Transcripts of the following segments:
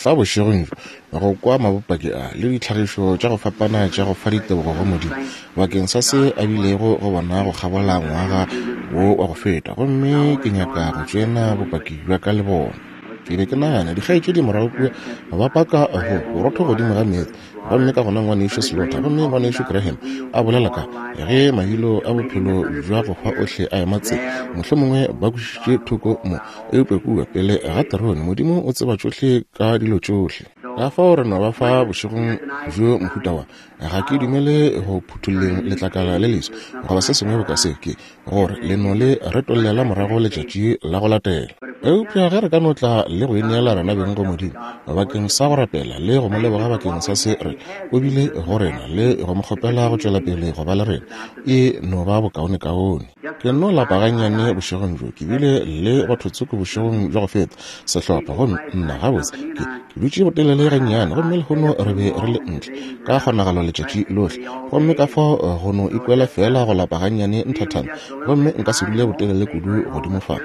Fa bošegong bjo, go kwa mabopaki a le ditlhagišo tša go fapana tša go fa ditebogo go Modimo bakeng sa se a bilego go bona go kgabola ngwaga wo wa go feta, gomme ke nyaka go tšoena bopaki bja ka le bona. Ke be ke nagana, dikgaetšedi morago kua ba paka go borotho godimo ga meetse, gomme ka gona Ngwanešu Slaughter gomme Ngwanešu Graham a bolela ka ge mailo a bophelo bja go hwa ohle a ema tsela, mohlomongwe ba kwešišitše thoko mo, eupša kua pele ga terone Modimo o tseba tšohle ka dilo tšohle. Ka fao re no ba fa bošegong bjo mohuta wa, ga ke dumele go phuthulleng letlakala le leswa goba se sengwe boka se, ke gore le no le retollela morago letšatši la go latela. Eupša ge re ka no tla le go ineela rena beng go Modimo bakeng sa go rapela le go mo leboga bakeng sa se re o bile go rena le go mo kgopela go tšwela pele go ba le rena, e no ba bokaonekaone. Ke nno lapa gannyane bošegong bjo. Ke bile le batho tsoko bošegong bja go feta, sehlopha, gomme nna gabotse ke, ke dutše botelele gannyane, gomme lehono re be re le ntle ka kgonagalo letšatši lohle, gomme ka fao go no ikwela feela go lapa gannyane nthathana, gomme nka se dule botelele kudu godimo fa.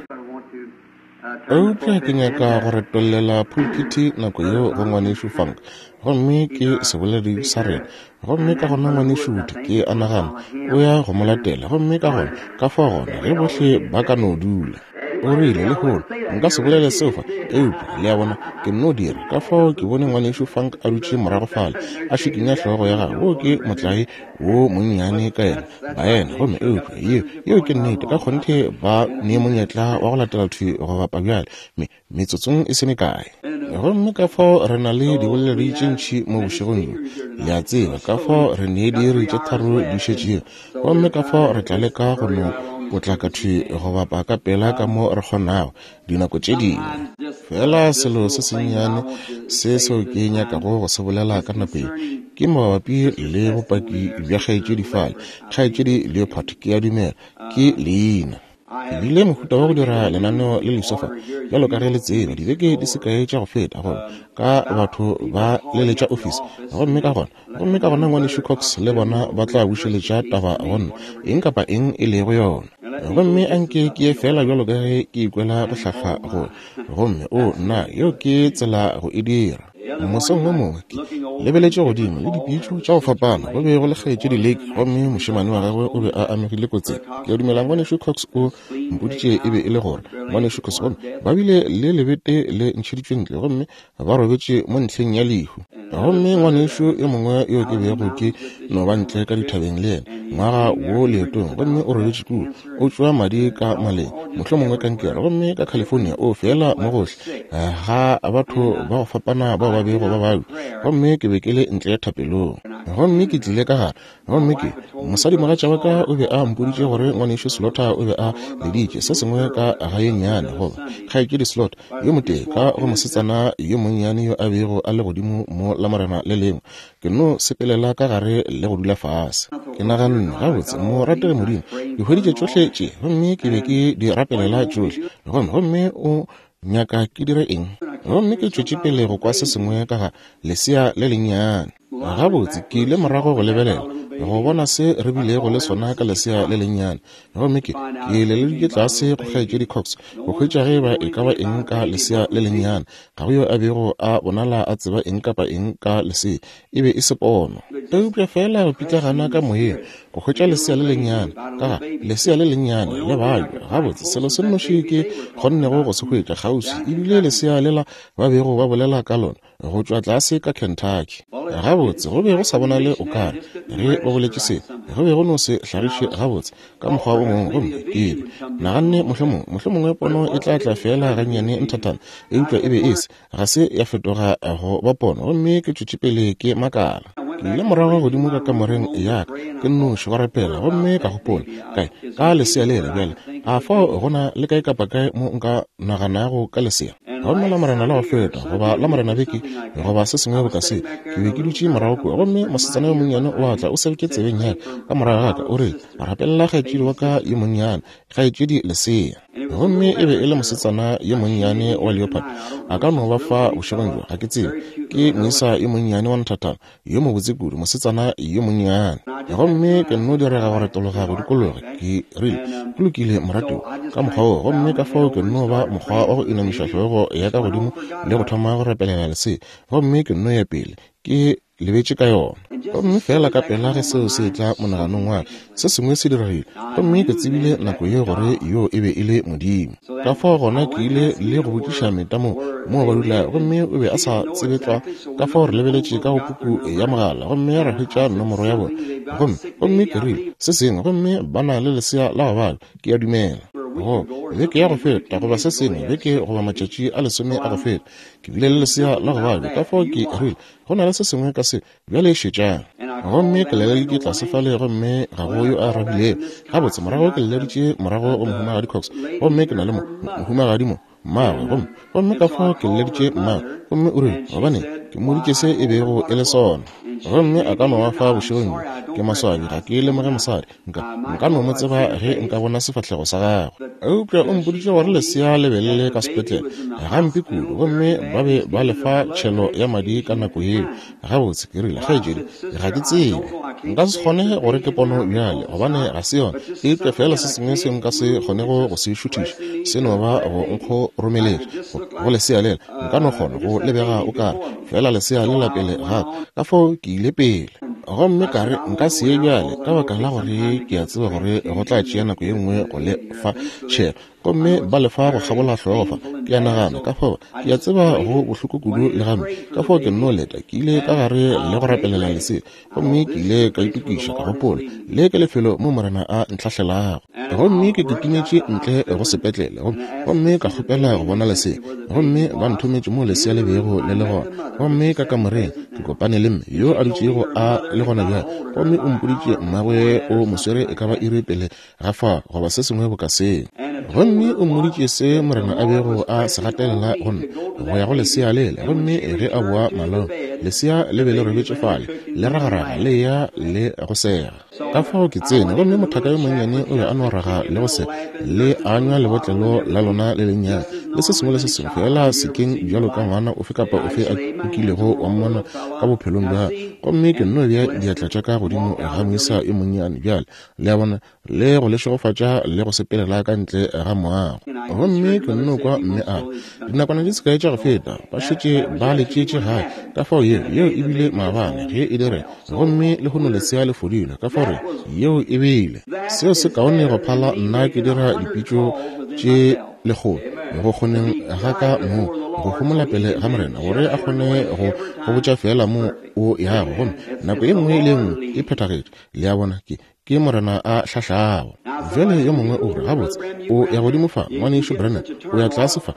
Eupša ke nyaka go retollela phulphithi nako yeo go Ngwanešu Funk, gomme ke seboledi sa rena. Gomme ka gona Ngwanešu Wood, ke a nagana, o ya go mo latela. Gomme ka gona, ka fao gona, ge bohle ba ka no dula. O rile, Lehono, nka se bolele seo fa, eupša, le a bona, ke nno dira. Ka fao ke bone Ngwanešu Funk a dutše morago fale, a šikinya hlogo ya gagwe. Woo ke motlae wo monnyane ka yena, baena. Gomme, eupša, yeo, yeo ke nnete. Ka kgonthe ba ne monyetla wa go latela thwi go bapa bjale, me, metsotsong e se mekae. Gomme ka fao re na le diboledi tše ntši mo bošegong bjo, le a tseba, ka fao re ne diiri tše tharo di šetšego. Gomme ka fao re tla leka go no potlaka thwi go bapa ka pela ka mo re kgonago, dinako tše dingwe. Feela selo se sennyane se seo ke nyakago go se bolela ka nako ye, ke mabapi le bopaki bja kgaetšedi fale, Kgaetšedi Leopard, ke a dumela ke leina. Ke bile mohuta wa go dira lenaneo le leswa fa, bjalo ka ge le tseba, dibeke di se kae tša go feta, goba ka batho ba leletša ofisi. Gomme ka gona, gomme ka gona Ngwanešu Cox le bona ba tla bušeletša taba go nna, eng kapa eng e lego yona. Gomme a nke ke ye feela bjalo ka ge ke ikwela go hlahlwa go. Gomme, oo, nna, yeo ke tsela go e dira. Mosong wo mongwe ke lebeletše godimo le dipitšo tša go fapana, go be go le kgaetšedi Lake gomme mošemane wa gagwe o be a amegile kotsing. Ke a dumela Ngwanešu Cox o mpoditše e be e le gore Ngwanešu Cox, gomme ba bile le lebete le ntšheditšwe ntle gomme ba robetše mo ntlheng ya lehu. Gomme ngwanešu yo mongwe yo ke bego ke no ba ntle ka dithabeng le yena ngwaga wo leetong, gomme o robetše kua, o tšwa madi ka maleng, mohlomongwe kankere, gomme ka California o feela mo gohle ga batho ba go fapana bao ba bego ba babja. Gomme ke be ke le ntle thapelong, gomme ke tlile ka gare, gomme ke mosadimogatša wa ka o be a mpoditše gore ngwanešu Slaughter o be a leditše se sengwe ka ga ye nnyane, goba kgaetšedi Slaughter yo motee ka go mosetsana yo monnyane yo a bego a le godimo mo Lamorena le lengwe. Ke no sepelela ka gare le go dula fase. Ke naganne, Gabotse, morategi Modimo, ke hweditše tšohle tše, gomme ke be ke di rapelela tšohle, gomme, gomme O nyaka ke dire eng? Gomme ke tšwetše pele go kwa se sengwe ka ga lesea le lennyane. Gabotse, ke ile morago go lebelela, go bona se re bilego le sona ka lesea le lennyane. Gomme ke, ke leleditše tlase go Kgaetšedi Cox, go hwetša ge eba e ka ba eng ka lesea le lennyane. Ga go yo a bego a bonala a tseba eng kapa eng ka lesea. E be e se pono. Eupša feela go pitlagana ka moyeng, go hwetša lesea le lennyane, ka ga lesea le lennyane le babja. Gabotse, selo se nnoši ke kgonnego go se hwetša kgauswi e bile lesea lela ba bego ba bolela ka lona, go tšwa tlase ka Kentucky. Gabotse, go be go sa bonale o ka re, ge ba boletše se, go be go no se hlagiše gabotse ka mokgwa o mongwe. Gomme ke be naganne, mohlomongwe, mohlomongwe pono e tla tla feela gannyane nthathana, eupša e be e se, ga se ya fetoga go ba pono. Gomme ke tšwetše pele ke makala. Ke ile morago godimo ka kamoreng ya ka, ke nnoši go rapela, gomme ka gopola, Kae, ka lesea lela bjale, a fao go na le kae kapa kae mo nka naganago ka lesea? Gomme Lamorena la go feta, goba Lamorena beke, goba se sengwe boka se, ke be ke dutše morago kua, gomme mosetsana yo monnyane o a tla, o sebetše tsebeng ya ka, ka morago ga ka, o rile, Rapelela kgaetšedi wa ka yo monnyane, kgaetšedi lesea. Gomme e be e le mosetsana yo monnyane wa leopard. A ka no ba fa bošegong bjo, ga ke tsebe. Ke moisa yo monnyane wa nthathana, yo mobotse kudu, mosetsana yo monnyane. Gomme ke nno direga go retologa go dikologa, ke rile, Go lokile, moratiwa, ka mokgwa woo. Gomme ka fao ke nno ba mokgwa wa go inamiša hlogo ya ka godimo le go thoma go rapelela lesea. Gomme ke nno ya pele, ke lebetše ka yona. Gomme feela ka pela ge seo se etla monaganong wa ka, se sengwe se diregile, gomme ke tsebile nako yeo gore yoo e be e le Modimo. Ka fao gona ke ile le go botšiša Meta moo, moo ba dulago, gomme o be a sa tsebe tlwa. Ka fao re lebeletše ka go puku ya mogala gomme ra hwetša nomoro ya bona. Gomme, gomme ke rile, se sengwe, gomme ba na le lesea la go babja, ke a dumela. Go, beke ya go feta, goba se sengwe, beke goba matšatši a lesome a go feta, ke bile le lesea la go babja. Ka fao ke rile, Go na le se sengwe ka se. Bjale šetšang. Gomme ke leleditše tlase fale gomme ga go yo a arabilego. Gabotse, morago ke leleditše morago go Mohumagadi Cox. Gomme ke na le mo, mohumagadi mo, mmagwe. Gomme, gomme ka fao ke leleditše mmagwe. Gomme o rile, gobaneng, ke mmoditše se e bego e le sona. Gomme a ka no ba fa bošegong bjo. Ke maswabi ga ke lemoge mosadi. Nka, nka no mo tseba ge nka bona sefahlego sa gagwe. Eupša o mpoditše gore lesea le be le le ka sepetlele, gampe kudu, gomme ba be ba le fa tšhelo ya madi ka nako yeo. Gabotse, ke rile, kgaetšedi, ga ke tsebe. Nka se kgone gore ke pono bjale, gobane ga se yona. Eupša feela se sengwe seo nka se kgonego go se šuthiša, se no ba go nkgoromeletša go, go lesea lela. Nka no kgona go lebega o kare feela lesea lela pele ga ka. Ka fao ke ile pele. Gomme ka re, Nka se ye bjale, ka baka la gore ke a tseba gore go tla tšea nako ye nngwe go le fa tšhelo. Gomme ba le fa go kgabola hlogo fa, ke a nagana. Ka fao, ke a tseba go bohloko kudu le gampe. Ka fao ke nno leta. Ke ile ka gare le go rapelela lesea. Gomme ke ile ka itokiša, ka gopola, Le ke lefelo mo Morena a ntlhahlelago. Gomme ke kitimetše ntle go sepetlele, gomme, gomme ka kgopela go bona lesea. Gomme ba nthometše mo lesea le bego le le gona. Gomme ka kamoreng, ke kopane le mme yo a dutšego a le gona bjale. Gomme o mpoditše mmagwe o mo swere e ka ba iri pele ga fao, goba se sengwe boka seo. Gomme o mmoditše se Morena a bego a se gatelela go nna, go ya go lesea lela. Gomme ge a boa malaong, lesea le be le robetše fale, le ragaraga, le eya le go sega. Ka fao ke tsene, gomme mothaka yo monnyane o be a no raga le go sega, le anywa lebotlelo la lona le lennyane, le se sengwe le se sengwe, feela sekeng bjalo ka ngwana ofe kapa ofe a o kilego wa mmona ka bophelong bja. Gomme ke nno bea diatla tša ka godimo ga moisa yo monnyane bjale, le a bona, le go le šegofatša le go sepelela ka ntle ga moago. Gomme ke nno kwa mme a re, dinakwana di se kae tša go feta, ba šetše ba le tšeetše gae. Ka fao yeo, yeo e bile maabane ge e direga, gomme lehono lesea le fodile. Ka fao re, yeo e bile. Seo se kaone go phala nna ke dira dipitšo tše lekgolo go kgoneng ga ka mo go homola pele ga Morena, gore a kgone go go botša feela mo o yago. Gomme nako ye nngwe le ye nngwe e phethagetše. Le a bona, ke, ke Morena a hlahlago. Bjale yo mongwe o re, Gabotse, o ya godimo fa, Ngwanešu Branham, o ya tlase fa,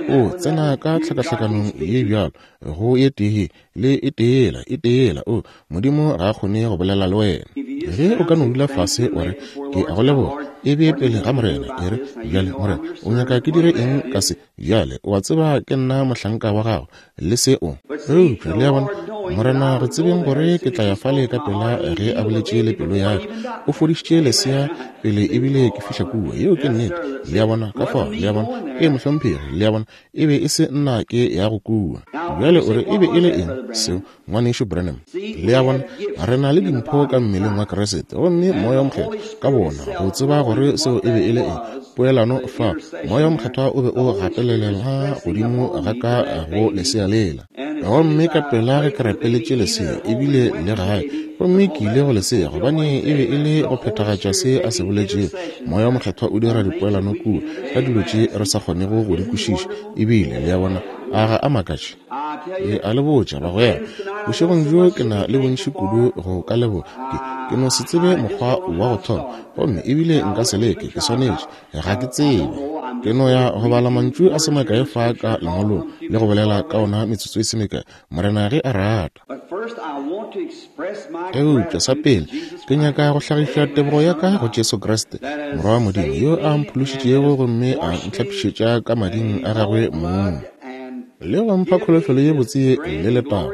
o, o tsena ka tlhakahlakanong ye bjalo, go ye tee ye, le e tee yela, e tee yela. O, Modimo ga a kgone go bolela le wena. Ge o ka no dula fase wa re, Ke a go leboga, e bee pele ga Morena, e re, Bjale, Morena, o nyaka ke dire eng ka se? Bjale, o a tseba ke nna mohlanka wa gago, le se o. Eupša, le a bona, Morena, go tsebeng gore ke tla ya fale ka pela ge a boletše le pelo ya ka, o fodišitše lesea pele ebile ke fihla kua. Yeo ke nnete. Le a bona? Ka fao, le a bona? Ee, mohlomphegi, le a bona, e be e se nna ke yago kua. Bjale o re e be e le eng seo, Ngwanešu Branham? Le a bona, re na le dimpho ka mmeleng wa Kriste, gomme Moya wo Mokgethwa ka bona, go tseba gore seo e be e le eng, poelano fa, Moya wo Mokgethwa o be o gatelelela godimo ga ka go lesea lela. Gomme ka pela ge ke rapeletše lesea, ebile le gae, gomme ke ile go lesea, gobane e be e le go phethagatša se a se boletšego. Moya wo Mokgethwa o dira dipoelano kua, ka dilo tše re sa kgonego go di kwešiša, ebile, le a bona, a ga a makatše? Ke a le botša, bagwera, bošegong bjo ke na le bontši kudu go ka leboga. Ke, ke no se tsebe mokgwa wa go thoma, gomme ebile nka se leke, ke swanetše. Ga ke tsebe. Ke no ya go bala mantšu a se makae fa ka Lengwalong le go bolela ka ona metsotso e se mekae, Morena ge a rata. Eupša sa pele, ke nyaka go hlagiša tebogo ya ka go Jesu Kriste, Morwa wa Modimo, yo a mphološitšego gomme a ntlhapišetša ka mading a gagwe mong. Le go mpha kholofelo ye botse ye le letago,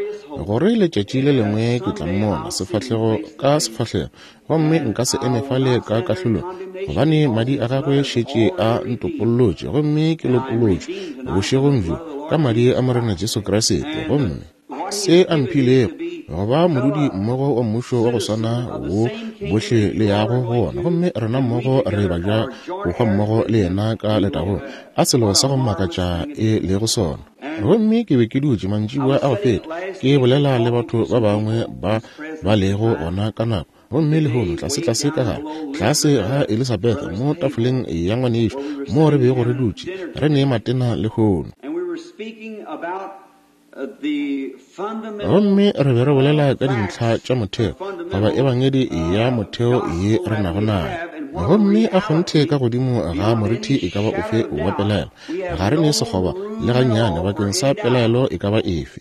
gore letšatši le lengwe ke tla Mmona sefahlego ka sefahlego, gomme nka se eme fale ka kahlolong, gobane Madi a Gagwe šetše a ntopollotše, gomme ke lopolotšwe bošegong bjo ka Madi a Morena Jesu Kriste, gomme se a mphilego go ba modudi mmogo wa mmušo wa go swana wo bohle le yago go wona, gomme rena mmogo re baja bohwa mmogo le yena ka letagong. A selo sa go makatša e lego sona! Gomme ke be ke dutše mantšiboa a go feta ke bolela le batho ba bangwe ba ba lego gona ka nako, gomme lehono tlasetlase ka gare tlase ga Elizabeth mo tafoleng ya ngwanešu moo re bego re dutše re ne matena lehono. Gomme re be re bolela ka dintlha tša motheo, goba ebangedi ya motheo ye re nago nayo. Gomme a kgonthe ka godimo ga morithi e ka ba ofe wa pelaelo, ga re ne sekgoba le gannyane bakeng sa pelaelo e ka ba efe.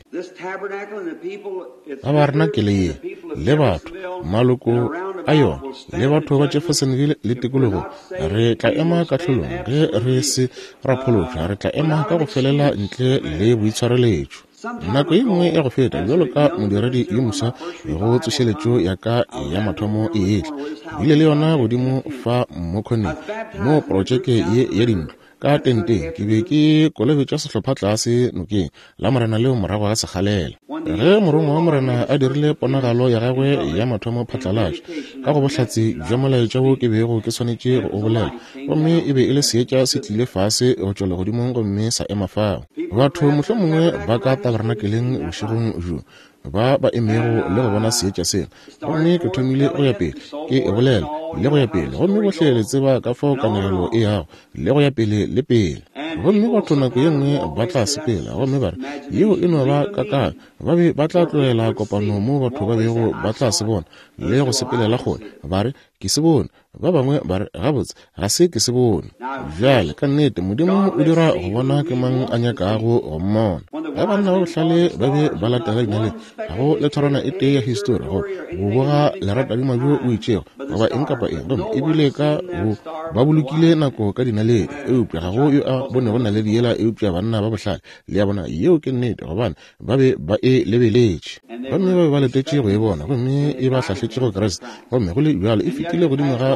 Tabarenakele ye, le batho, maloko a yona, le batho ba Jeffersonville le tikologo, re tla ema kahlolong ge re se ra phološwa, re tla ema ka go felela ntle le boitshwareletšo. Nako ye nngwe ya go feta, bjalo ka modiredi yo moswa go tsošeletšo ya ka ya mathomo e etla, bile le yona godimo fa mo khoneng, mo protšeke ye ya dintlo, Ka tenteng ke be ke kolobetša sehlopha tlase nokeng la Morena leo morago ga sekgalela. Ge morongwa wa Morena a dirile ponagalo ya gagwe ya mathomo phatlalatša ka go bohlatse bja molaetša wo ke bego ke swanetše go o bolela, gomme e be e le seetša se tlile fase go tšwa legodimong gomme sa ema fao. Batho mohlomongwe ba ka tabernakeleng bošegong bjo ba ba emego le go bona seetša sela. Gomme ke thomile go ya pele ke e bolela le go ya pele, gomme bohle le tseba ka fao kanegelo e yago le go ya pele le pele. Gomme batho nako ye nngwe ba tla sepela gomme ba re, Yeo e no ba kakanyo. Ba be ba tla tlogela kopano moo batho ba bego ba tla se bona le go sepelela kgole, ba re, Ke se bone. Ba bangwe ba re, Gabotse, ga se ke se bone. Bjale, ka nnete, Modimo o dira go bona ke mang a nyakago go mmona. Ge banna ba bohlale ba be ba latela dinaledi, ga go le thorwana e tee ya histori go go boga leratadima bjo bo itšego goba eng kapa eng, gomme ebile ka go ba bolokile nako ka dinaledi, eupša ga go yo a bonego naledi yela eupša banna ba bohlale. Le a bona, yeo ke nnete, gobane ba be ba e lebeletše gomme ba be ba letetše go e bona, gomme e ba hlahletše go Kriste. Gomme go le bjalo e fetile godimo ga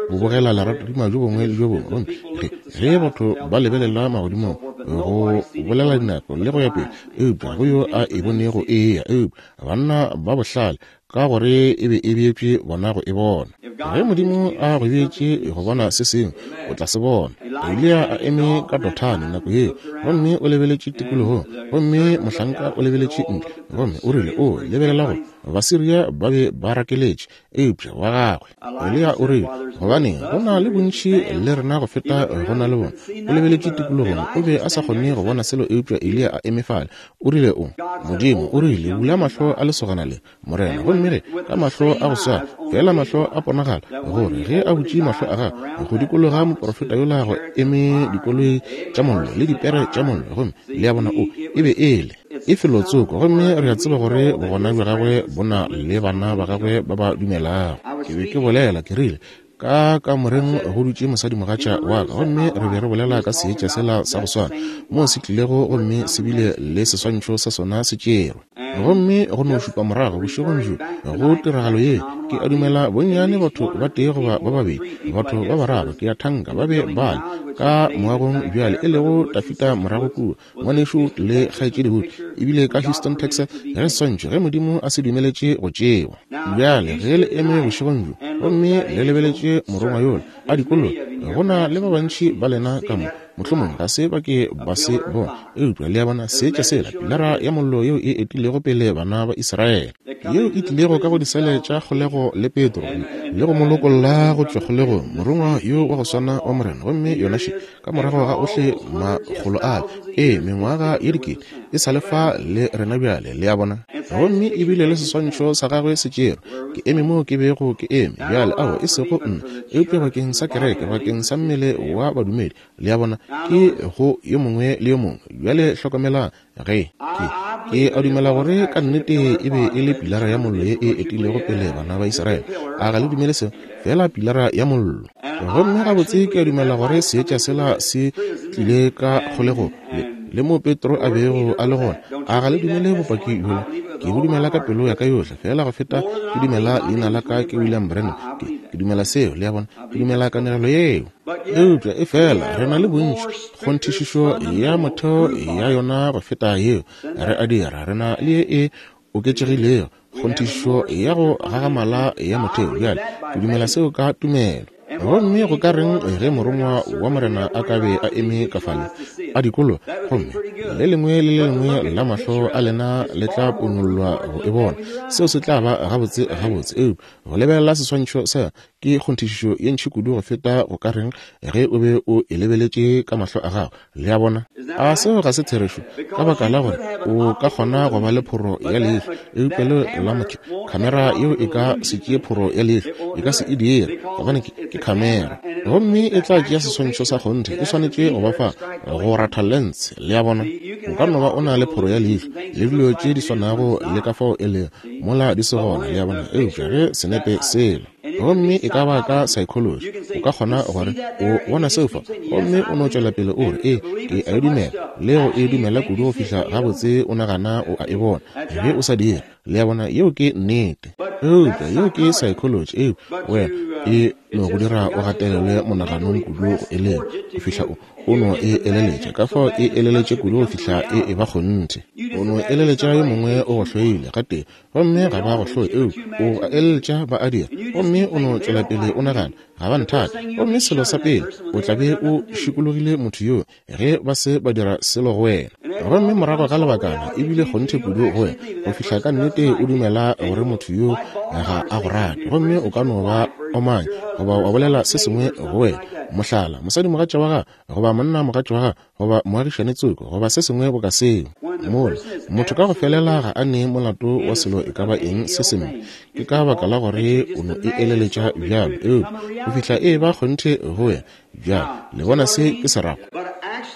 go bogela leratadima bjo bongwe le bjo bongwe. Gomme ge, ge batho ba lebelela magodimong go bolela dinako le go ya pele, eupša go yo a e bonego e eya, eupša banna ba bohlale ka gore e be e beetšwe bona go e bona. Ge Modimo a go beetše go bona se sengwe, o tla se bona. Eliya a eme ka Dothane nako yeo, gomme o lebeletše tikologong, gomme mohlanka o lebeletše ntle, gomme o rile, O lebelela go Basiria ba be ba rakeletše, eupša wa gagwe. Eliya o rile, Gobaneng, go na le bontši le rena go feta go na le bona. O lebeletše tikologong, o be a sa kgone go bona selo eupša Eliya a eme fale. O rile, O Modimo, o rile, bula mahlo a lesogana le, Morena. Gomme ge, ka mahlo a go swana, feela mahlo a ponagala, gore ge a butše mahlo a gagwe go dikologa moprofeta yola go eme dikoloi tša mollo le dipere tša mollo, gomme le a bona, o, e be e le. E felotsoko, gomme re a tseba gore bogona bja gagwe bo na le bana ba gagwe ba ba dumelago. Ke be ke bolela, ke rile, Ka kamoreng go dutše mosadimogatša wa ka, gomme re be re bolela ka seetša sela sa go swana, moo se tlilego gomme se bile le seswantšho sa sona se tšerwe. Gomme go no šupa morago bošegong bjo go tiragalo ye, ke a dumela bonnyane batho ba tee goba ba babedi, batho ba bararo, ke a thanka, ba be ba le ka moagong bjale, e lego Tafita morago kua, Ngwanešu le Kgaetšedi Wood, ebile ka Houston, Texas, ge seswantšho, ge Modimo a se dumeletše go tšewa. Bjale, ge le eme bošegong bjo gomme le lebeletše Morongwa yola a dikologa, go na le ba bantši ba lena ka mo, mohlomongwe ga se ba ke ba se bona, eupša le a bona seetša sela, Pilara ya Mollo yeo e etilego pele bana ba Israele, yeo e tlilego ka go disele tša kgolego le Petro, le go mo lokolla go tšwa kgolegong, Morongwa yo wa go swana wa Morena, gomme yona še, Ka morago ga ohle makgolo a, ee, mengwaga ye dikete, e sa le fa le rena bjale, le a bona. Gomme ebile le seswantšho sa gagwe se tšerwe. Ke eme moo ke bego ke eme bjale, ao, e sego nna, eupša bakeng sa kereke, bakeng sa mmele wa badumedi, le a bona, ke go yo mongwe le yo mongwe. Bjale hlokomelang, Ge, ke, ke a dumela gore ka nnete e be e le pilara ya mollo ye e etilego pele bana ba Israele. A ga le dumele seo? Feela pilara ya mollo. Gomme gabotse ke a dumela gore seetša sela se tlile ka kgolegong le, Le mo Petro a bego a le gona. A ga le dumele bopaki bjola? Ke bo dumela ka pelo ya ka yohle, feela go feta ke dumela leina la ka ke William Branham. Ke, ke dumela seo, le a bona. Ke dumela kanegelo yeo. Eupša efela re na le bontši kgonthišišo ya motheo ya yona go feta yeo. Re a dira, re na le ye e oketšegilego kgonthišišo ya go gagamala ya motheo. Bjale, ke dumela seo ka tumelo. Gomme go ka reng ge Morongwa wa Morena a ka be a eme ka fale, a dikologa, gomme le lengwe le le lengwe la mahlo a lena le tla ponollwa go e bona? Seo se tla ba gabotse, gabotse. Eupša go lebelela seswantšho sa ke kgonthišišo ye ntši kudu go feta go ka reng ge o be o e lebeletše ka mahlo a gago. Le a bona? A seo ga se therešo? Ka baka la gore o ka kgona go ba le phoro ya leihlo, eupša leo la motho, khamera yeo e ka se tšee phoro ya leihlo, e ka se e dire, gobane ke, ke khamera. Gomme e tla tšea seswantšho sa kgonthe, e swanetše go ba fa go ratha lense. Le a bona? O ka no ba o na le phoro ya leihlo le dilo tše di swanago le ka fao e lego, mola di se gona, le a bona, eupša ge senepe sela. Gomme e ka ba ka psychology, o ka kgona gore o bona seo fa, gomme o no tšwela pele o re, Ee, ke a e dumela, le go e dumela kudu go fihla gabotse o nagana o a e bona, ge o sa dire. Le a bona, yeo ke nnete. Eupša yeo ke psychology, eupša wena e no go dira o gatelelwe monaganong kudu go e leka, go fihla o, o no e eleletša. Ka fao e eleletše kudu go fihla e eba kgonthe. O no eleletša yo mongwe o go hloile, gatee, Gomme ga ba go hloye, eupša o a eleletša ba a dira. Gomme o no tšwela pele o nagana, Ga ba nthate. Gomme selo sa pele, o tla be o šikologile motho yoo ge ba se ba dira selo go wena. Gomme morago ga lebakana, e bile kgonthe kudu go wena, go fihla ka nnete o dumela gore motho yoo ga a go rate. Gomme o ka no ba omanya goba wa bolela se sengwe go wena, mohlala, mosadimogatša wa gago goba monnamogatša wa gago, goba moagišane tsoko goba se sengwe boka seo. Mola, motho ka go felela ga a ne molato wa selo e ka ba eng se sempe, ke ka baka la gore o no e eleletša bjalo, eupša go fihla e eba kgonthe go wena. Bjale, le bona se ke se rago?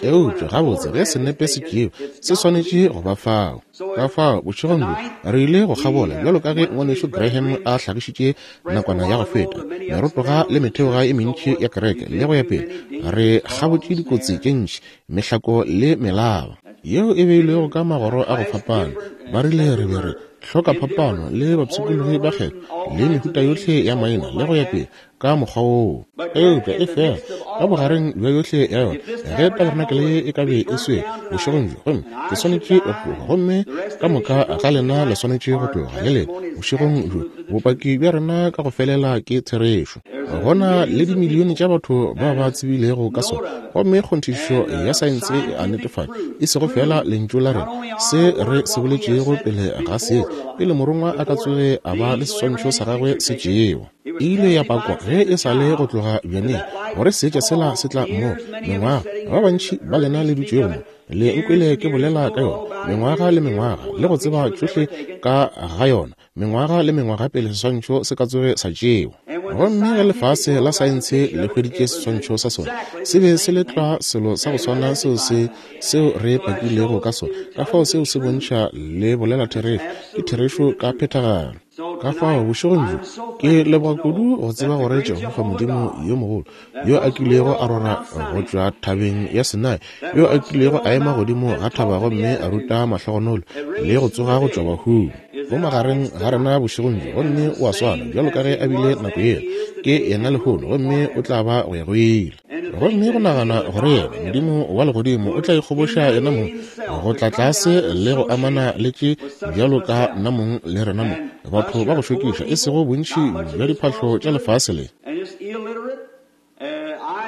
Eupša gabotse ge senepe se tšewa, se swanetše go ba fao. Ka fao, bošegong bjo, re ile go kgabola, bjalo ka ge Ngwanešu Graham a hlagišitše nakwana ya go feta, merotoga le metheoga e mentši ya kereke, le go ya pele. Re kgabotše dikotsi tše ntši, mehlako le melaba yeo e beilwego ka magoro a go fapana. Ba rile re be re hloka phapano le bapshikologi ba kgetho le mehuta yohle ya maina le go ya pele ka mokgwa woo. Eupša efela ka bogareng bja yohle ya yona, ge tabernacle ye e ka be e swere bošegong bjo, gomme ke swanetše go tloga, gomme ka moka ga lena le swanetše go tloga le lena bošegong bjo, bopaki bja rena ka go felela ke therešo. Go na le dimilione tša batho ba ba tsebilego ka sona, gomme kgonthišišo ya saense e a netefatša, e sego feela lentšu la rena, se re se boletšego pele ga se, pele morongwa a ka tsoge a ba le seswantšho sa gagwe se tšewa. E ile ya pakwa ge e sa le go tloga bjaneng gore seetša sela se tla mo. Mengwaga, ba bantši ba lena le dutšego mo, le nkwele ke bolela ka yona mengwaga le mengwaga, le go tseba tšohle ka ga yona, mengwaga le mengwaga pele seswantšho se ka tsoge sa tšewa. Gomme ge lefase la saense le hweditše seswantšho sa sona, se be se le tlwa selo sa go swana seo se seo re pakilego ka sona. Ka fao seo se bontšha le bolela therešo, ke therešo ka phethagalo. Ka fao, bošegong bjo, ke leboga kudu go tseba gore Jehofa Modimo yo mogolo, yo a kilego a rora go tšwa thabeng ya Sinai, yo a kilego a ema godimo ga thaba gomme a ruta mahlogonolo le go tsoga go tšwa bahung, o magareng ga rena bošegong bjo, gomme o a swana bjalo ka ge a bile nako yela, ke yena lehono, gomme o tla ba go ya go ile. Gomme go nagana gore yena, Modimo wa Legodimo, o tla ikgoboša yena mong go tla tlase le go amana le tše bjalo ka nna mong le rena mo, batho ba go šokiša, e sego bontši bja diphahlo tša lefase le.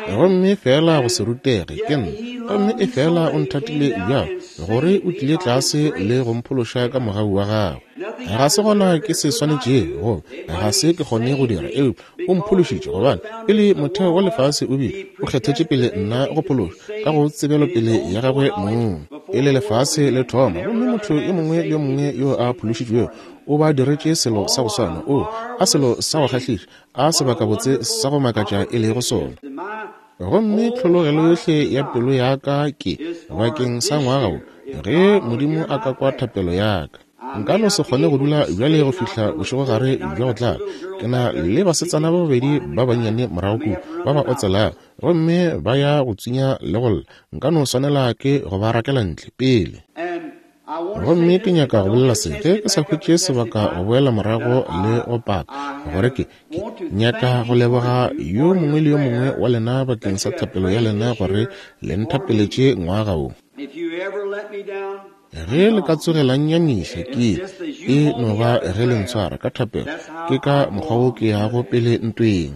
Gomme feela go se rutege ke nna, gomme efela o nthatile bjalo gore o tlile tlase le go mphološa ka mogau wa gagwe. Ga se gona ke se swanetšego, goba ga se ke kgone go dira, eupša O mphološitše, gobane pele motheo wa lefase o bile, o kgethetše pele nna go phološwa ka go tsebelopele ya gagwe mong, pele lefase le thoma. Gomme motho yo mongwe le yo mongwe yo a phološitšwego o ba diretše selo sa go swana. Oo, a selo sa go kgahliša, a sebakabotse sa go makatša e lego sona! Gomme tlhologelo yohle ya pelo ya ka ke bakeng sa ngwaga wo, ge Modimo a ka kwa thapelo ya ka. Nka no se kgone go dula bjale go fihla bošegogare bja go tlala. Ke na le basetsana ba babedi ba bannyane morago kua, ba ba otselago, gomme ba ya go tswinya le go lla. Nka no swanela ke go ba rakela ntle, pele. Gomme ke nyaka go bolela se, ge ke sa hwetše sebaka go boela morago le go paka, gore ke, ke nyaka go leboga yo mongwe le yo mongwe wa lena bakeng sa thapelo ya lena gore le nthapeletše ngwaga wo. Ge le ka tsoge la nnyamiša, ke, e no ba ge le ntshwara ka thapelo, ke ka mokgwa wo ke yago pele ntweng.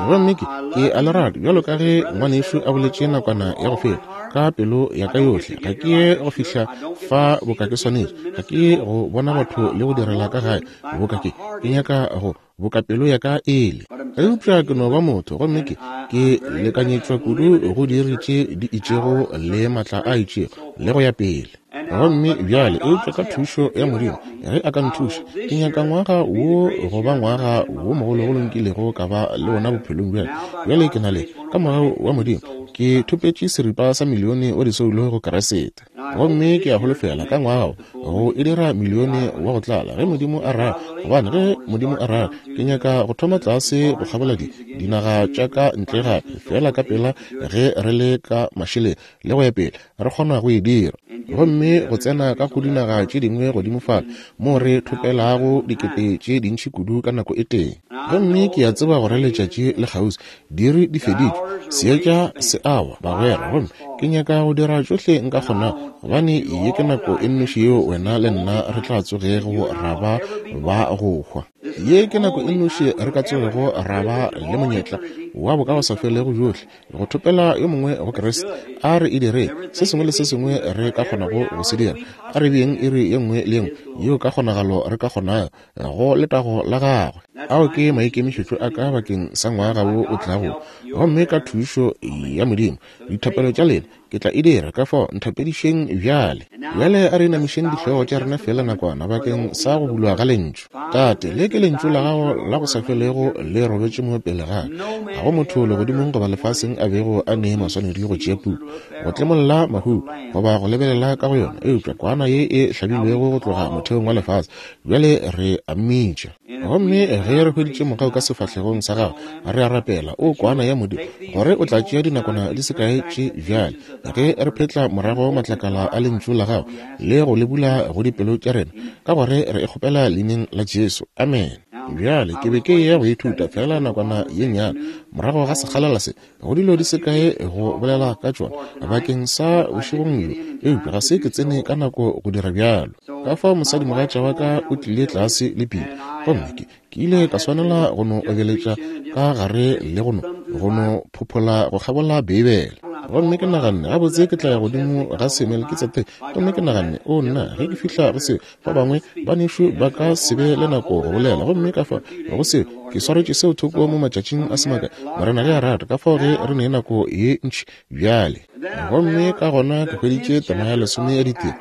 Gomme ke, ke a le rata, bjalo ka ge ngwanešu a boletše nakwana ya go feta, ka pelo ya ka yohle. Ga ke ye go fihla fa boka ke swanetše. Ga ke ye go bona batho le go direla ka gae boka ke, ke nyaka go, boka pelo ya ka e le. Eupša ke no ba motho, gomme ke, ke lekanyetšwa kudu go diiri tše di itšego le matla a itšego, le go ya pele. Gomme bjale, eupša ka thušo ya Modimo, ge A ka nthuša, ke nyaka ngwaga wo go ba ngwaga wo mogologolo nkilego ka ba le wona bophelong bjale. Bjale ke na le, ka mogau wa Modimo, ke thopetše seripa sa milione wa disoulo go Kriste. Gomme ke a holofela ka ngwaga wo go e dira milione wa go tlala, ge Modimo a rata. Gobane ge Modimo a rata, ke nyaka go thoma tlase go kgabola di, dinaga tša ka ntle gape, feela ka pela ge re le ka mašeleng le go ya pele, re kgona go e dira. Gomme go tsena ka go dinaga tše dingwe godimo fale, moo re thopelago dikete tše dintši kudu ka nako e tee. Gomme ke a tseba gore letšatši le kgauswi, diiri di feditšwe, seetša se a wa, bagwera. Gomme ke nyaka go dira tšohle nka kgonago, gobane ye ke nako e nnoši yeo wena le nna re tla tsogego ra ba ba go hwa. Ye ke nako e nnoši re ka tsogego ra ba le monyetla wa bokagosafelego bjohle, go thopela yo mongwe go Kriste. A re e direng se sengwe le se sengwe re ka kgonago go se dira. A re beeng iri ye nngwe le ye nngwe yeo ka kgonagalo re ka kgonago go letago la gagwe. Ao ke maikemišetšo a ka bakeng sa ngwaga wo o tlago. Gomme ka thušo ya Modimo, dithapelo tša lena Ke tla e dira, ka fao nthapedišeng bjale. Bjale a re inamišeng dihlogo tša rena feela nakwana bakeng sa go bulwa ga Lentšu. Tate, le ke Lentšu la Gago la go sa felego le robetše mo pele ga ka. Ga go motho legodimong goba lefaseng a bego a ne maswanedi go tšea puku, go tlemolla mahuto, goba go lebelela ka go yona, eupša Kwana ye e hlabilwego go tloga motheong wa lefase. Bjale re a Mmitša. Gomme ge re hweditše mogau ka sefahlegong sa Gago, re a rapela, O Kwana ya Modimo, gore O tla tšea dinakwana di se kae tše bjale, ge re phetla morago matlakala a Lentšu la Gago le go le bula go dipelo tša rena, ka gore re e kgopela Leineng la Jesu. Amene. Bjale, ke be ke eya go ithuta feela nakwana ye nnyane morago ga sekgalela se, go dilo di se kae go bolela ka tšona bakeng sa bošegong bjo, eupša ga se ke tsene ka nako go dira bjalo. Ka fao mosadimogatša wa ka o tlile tlase le pina, gomme ke, ke ile ka swanela go no obeletša ka gare le go no, go no phophola go kgabola Beibele. Gomme ke naganne, gabotse, ke tla ya godimo ga se Melkitsedeke. Gomme ke naganne, O nna, ge ke fihla go se, Ba bangwe banešu ba ka se be le nako go bolela, gomme ka fa go se ke swaretše seo thoko mo matšatšing a se makae, Morena ge a rata, ka fao ge re ne nako ye ntši bjale. Gomme ka gona ke hweditše tema ya lesome ya ditiro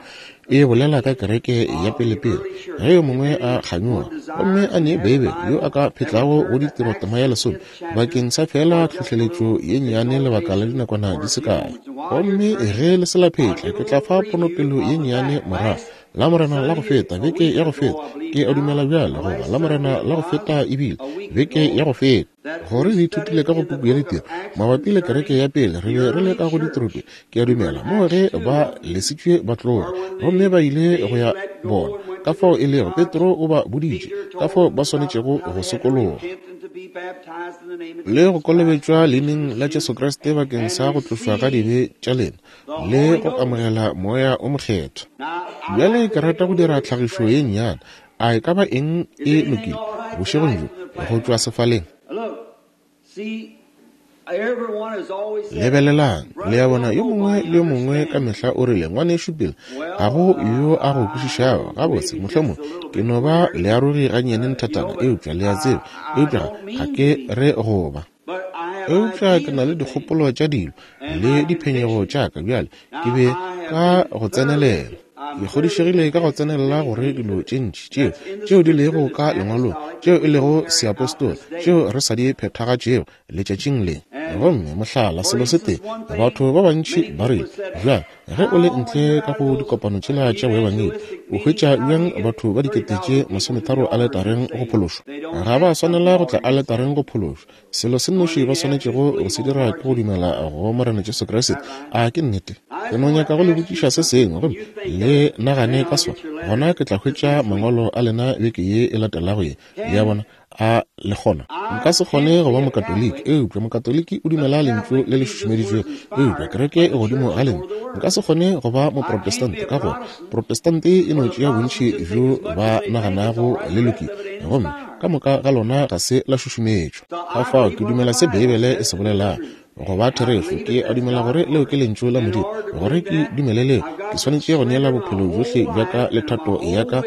e bolela ka kereke ya pelepele, ge yo mongwe a kganyoga gomme a ne Beibele yo a ka phetlago go ditiro tema ya lesome bakeng sa feela tlhohleletšo ye nnyane lebaka la dinakwana di se kae. Gomme ge le se la phetla, ke tla fa ponopelo ye nnyane morago Lamorena la go feta, beke ya go feta, ke a dumela bjale, goba Lamorena la go feta ebile, beke ya go feta, gore re ithutile ka go puku ya ditiro mabapi le kereke ya pele. Re be re le ka go ditiro, ke a dumela, moo ge ba lesitšwe ba tloga gomme ba ile go ya bona ka fao e lego Petro o ba boditše ka fao ba swanetšego go sokologa le go kolobetšwa leineng la Jesu Kriste bakeng sa go tlošwa ga dibe tša lena le go amogela Moya o Mokgethwa. Bjale ke rata go dira tlhagišo ye nnyane. A e ka ba eng e lokile bošegong bjo go tšwa sefaleng? Lebelelang, le a bona, yo mongwe le yo mongwe ka mehla o rile, Ngwanešu Bill, ga go yo a go kwešišago. Gabotse, mohlomongwe ke no ba learogi gannyane nthatana, eupša le a tseba, eupša ga ke re go ba. Eupša ke na le dikgopolo tša dilo le diphenyego tša ka bjale ke be ka go tsenelela. Ke kgodišegile ka go tsenelela gore dilo tše ntši tšeo tšeo di lego ka lengwalong tšeo e lego seapostola tšeo re sa di phethagatšego letšatšing le. Gomme, mohlala, selo se tee, batho ba bantši ba rile, Bjang, ge o le ntle ka go dikopano tšela tša boebangedi, o hwetša bjang batho ba dikete tše 30 aletareng go phološwa? Ga ba swanela go tla aletareng go phološwa. Selo se nnoši ba swanetšego go se dira ke go dumela go Morena Jesu Kriste. A ke nnete? Ke no nyaka go le botšiša se sengwe, gomme le nagane ka sona. Gona ke tla hwetša mangwalo a lena beke ye e latelago ye. Le a bona? A le kgona? Nka se kgone go ba Mokatoliki, eupša Mokatoliki o dumela Lentšu le le šušumeditšwego, eupša kereke e godimo ga Lentšu. Nka se kgone go ba Moprotestante, ka gore Protestante e no tšea bontši bjo ba naganago le lokile, gomme ka moka ga lona ga se la šušumetšwa. Ka fao ke dumela se Beibele e se bolelago go ba therešo. Ke a dumela gore leo ke Lentšu la Modimo. Gore ke dumele leo, ke swanetše go neela bophelo bjohle bja ka le thato ya ka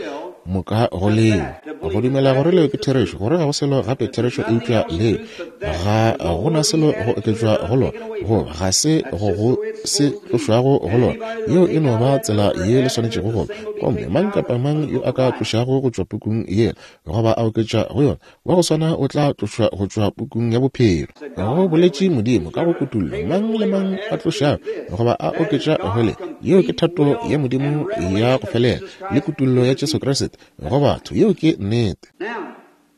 moka go leo. Go dumela gore leo ke therešo, gore ga go selo gape therešo eupša leo, ga go na selo go oketšwa go lona, goba ga se go go se tlošwago go lona. Yeo e no ba tsela ye le swanetšego go ba. Gomme mang kapa mang yo a ka tlošago go tšwa pukung yela, goba a oketša go yona, wa go swana o tla tlošwa go tšwa pukung ya bophelo. Go boletše Modimo ka go kutullo, mang le mang a tlošago goba a oketša go le, yeo ke thato ya Modimo ya go felela le kutullo ya Jesu Kriste go batho. Yeo ke nnete.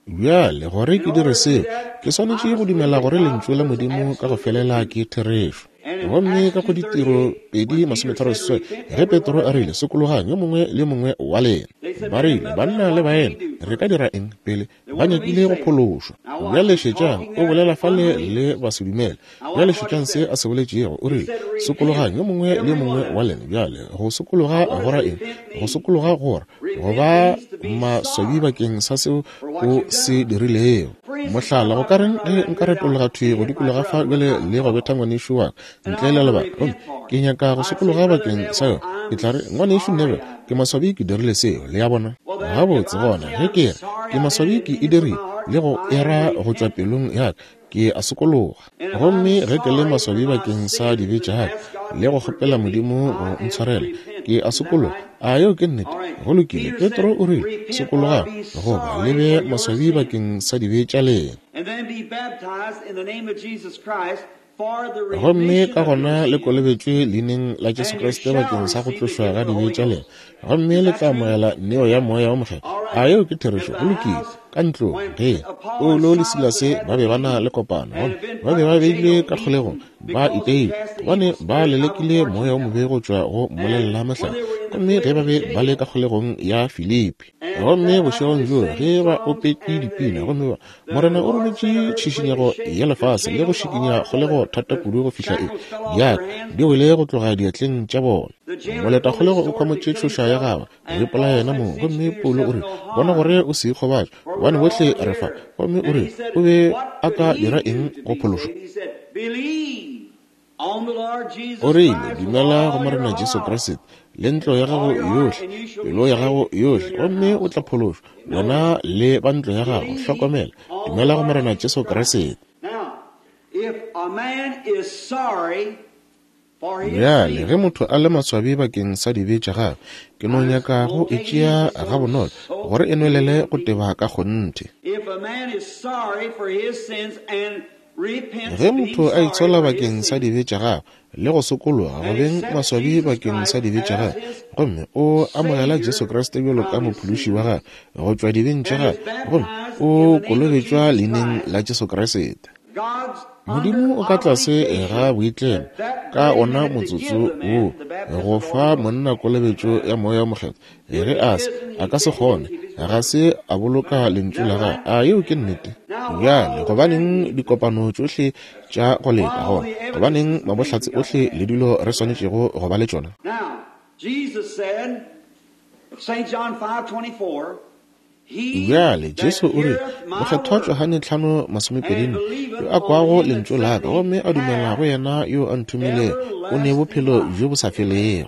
Bjale, gore ke dire seo, ke swanetše go dumela gore Lentšu la Modimo ka go felela ke therešo. Gomme ka go Ditiro 2:36, ge Petro a rile, Sokologang, yo mongwe le yo mongwe wa lena. Ba rile, Banna le baena, re ka dira eng? Pele, ba nyakile go phološwa. Bjale šetšang, o bolela fale le basedumele. Bjale šetšang se a se boletšego. O rile, Sokologang, yo mongwe le yo mongwe wa lena. Bjale, go sokologa go ra eng? Go sokologa go ra go ba maswabi bakeng sa seo o se dirilego. Mohlala, go ka reng ge nka retologa thwi go dikologa fa bjale le go betha ngwanešu wa ka ntle le lebaka, gomme ke nyaka go sokologa bakeng sa yona? Ke tla re, Ngwanešu Neville, ke maswabi ke dirile seo. Le a bona? Gabotse, gona, ge ke re ke maswabi ke e dirile, le go e ra go tšwa pelong ya ka, ke a sokologa. Gomme ge ke le maswabi bakeng sa dibe tša ka le go kgopela Modimo go ntshwarela, ke a sokologa. A yeo ke nnete? Go lokile. Petro o rile, Sokologang, goba le be maswabi bakeng sa dibe tša lena. Gomme ka gona le kolobetšwe leineng la Jesu Kriste bakeng sa go tlošwa ga dibe tša lena, gomme le tla amogela neo ya Moya wo Mokgethwa. A yeo ke therešo? Go lokile. Ka ntlong, ge Paulo le Silase ba be ba na le kopano, gomme ba be ba beilwe ka kgolegong, ba iteilwe, gobane ba lelekile moya wo mobe go tšwa go mmolelela mahlare, gomme ge ba be ba le ka kgolegong ya Filipi. Gomme bošegong bjoo ge ba opetše dipina, gomme ba, Morena o rometše tšhišinyego ya lefase le go šikinya kgolego thata kudu go fihla e, diatla di wele go tloga diatleng tša bona. Moletakgolego o khwamotše tšhoša ya gagwe go ipolaya yena mong. Gomme Paulo o rile, Bona gore o se ikgobatše, gobane bohle re fa. Gomme o rile, O be a ka dira eng go phološwa? O rile, Dumela go Morena Jesu Kriste le ntlo ya gago yohle, pelo ya gago yohle, gomme o tla phološwa, wena le ba ntlo ya gago. Hlokomela, dumela go Morena Jesu Kriste. Bjale, ge motho a le maswabi bakeng sa dibe tša gagwe, ke no nyaka go e tšea gabonolo gore e nwelele go teba ka kgonthe. Ge motho a itshola bakeng sa dibe tša gagwe le go sokologa go beng maswabi bakeng sa dibe tša gagwe, gomme o amogela Jesu Kriste bjalo ka Mophološi wa gagwe go tšwa dibeng tša gagwe, gomme o kolobetšwa leineng la Jesu Kriste. Modimo o ka tlase ga boitlemo ka ona motsotso wo go fa monna kolobetšo ya Moya wo Mokgethwa. Ge a se, a ka se kgone, ga se a boloka Lentšu la Gagwe. A yeo ke nnete? Bjale, gobaneng dikopano tšohle tša go leka gona? Gobaneng mabohlatse ohle le dilo re swanetšego go ba le tšona? Bjale, Jesu o rile, Mokgethwa Johane 5:24, Yo a kwago Lentšu la Ka gomme a dumela go Yena yo a Nthomilego, o ne Bophelo bjo bo sa felego.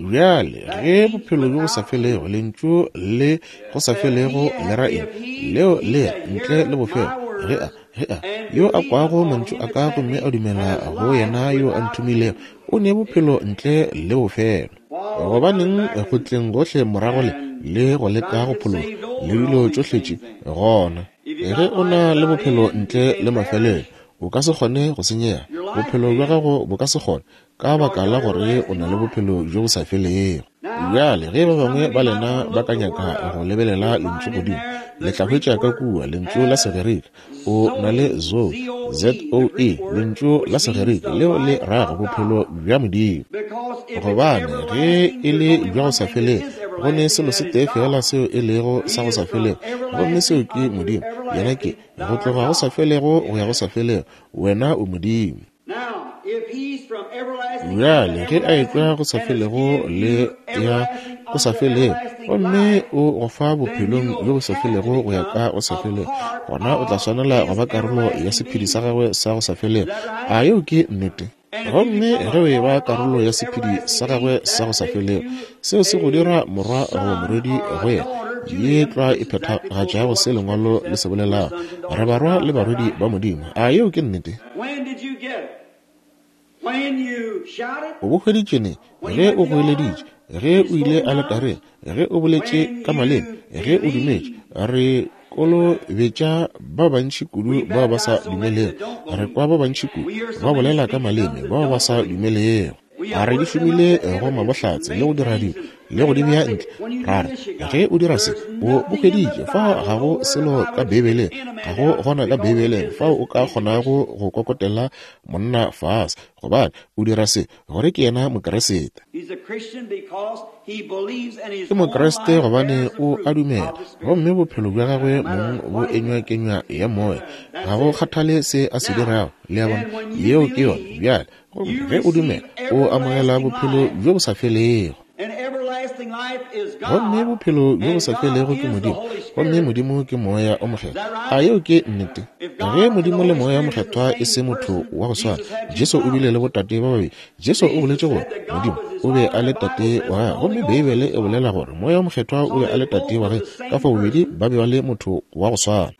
Bjale, ge bophelo bjo bo sa felego, lentšu le go sa felego le ra eng? Leo le re, ntle le bofelo. Ge a, ge a, yo a kwago mantšu a ka gomme a dumela go yena yo a nthomilego, o ne bophelo ntle le bofelo. Gobaneng go tleng gohle morago le, le go leka go phologa, le dilo tšohle tše, gona? Ge o na le bophelo ntle le mafelelo, o ka se kgone go senyega. Bophelo bja gago bo ka se kgone, ka baka la gore o na le bophelo bjo bo sa felego. Bjale, ge ba bangwe ba lena ba ka nyaka go lebelela lentšu godimo, le tla hwetša ka kua lentšu la Segerika, o na le zoe, Z-O-E, lentšu la Segerika leo le rago bophelo bja Modimo. Gobane ge e le bja go sa felego, go ne selo se tee feela seo e lego sa go sa felego, gomme seo ke Modimo. Yena ke go tloga go sa felego go ya go sa felego. Wena o Modimo. Bjale ge a etšwa go sa felego le ya go sa felego, gomme o go fa bophelong bjo bo sa felego go ya ka go sa felego, gona o tla swanela go ba karolo ya sephedi sa gagwe sa go sa felego. A yeo ke nnete? Gomme ge o eba karolo ya sephedi sa gagwe sa go sa felego, seo se go dira morwa goba morwedi go yena, ye tlwa e phethagatšago se Lengwalo le se bolelago, re barwa le barwedi ba Modimo. A yeo ke nnete? O bo hweditše neng? Ge o goeleditše, ge o ile aletareng, ge o boletše ka maleme, ge o dumetše. Re kolobetša ba bantši kudu bao ba sa dumelego. Re kwa ba bantši kudu ba bolela ka maleme bao ba sa dumelego. A re di šomile go mabohlatse le go dira dilo le go di bea ntle, ra re, ge o dira se, o bo hweditše. Fao ga go selo ka Beibeleng, ga go gona ka Beibeleng fao o ka kgonago go kokotela monna fase, gobane o dira se gore ke yena Mokriste. Ke Mokriste gobane o a dumela, gomme bophelo bja gagwe mong bo enywa kenywa ya Moya. Ga go kgathale se a se dirago, le a bona, yeo ke yona. Bjale, gomme ge o dumela, o amogela bophelo bjo bo sa felego. Gomme bophelo bjo bo sa felego ke Modimo, gomme Modimo ke Moya o Mokgethwa. A yeo ke nnete? Ge Modimo le Moya o Mokgethwa e se motho wa go swana, Jesu o bile le botate ba babedi. Jesu o boletše gore Modimo o be a le Tate wa gagwe, gomme Beibele e bolela gore Moya o Mokgethwa o be a le Tate wa gagwe. Ka fao bobedi ba be ba le motho wa go swana.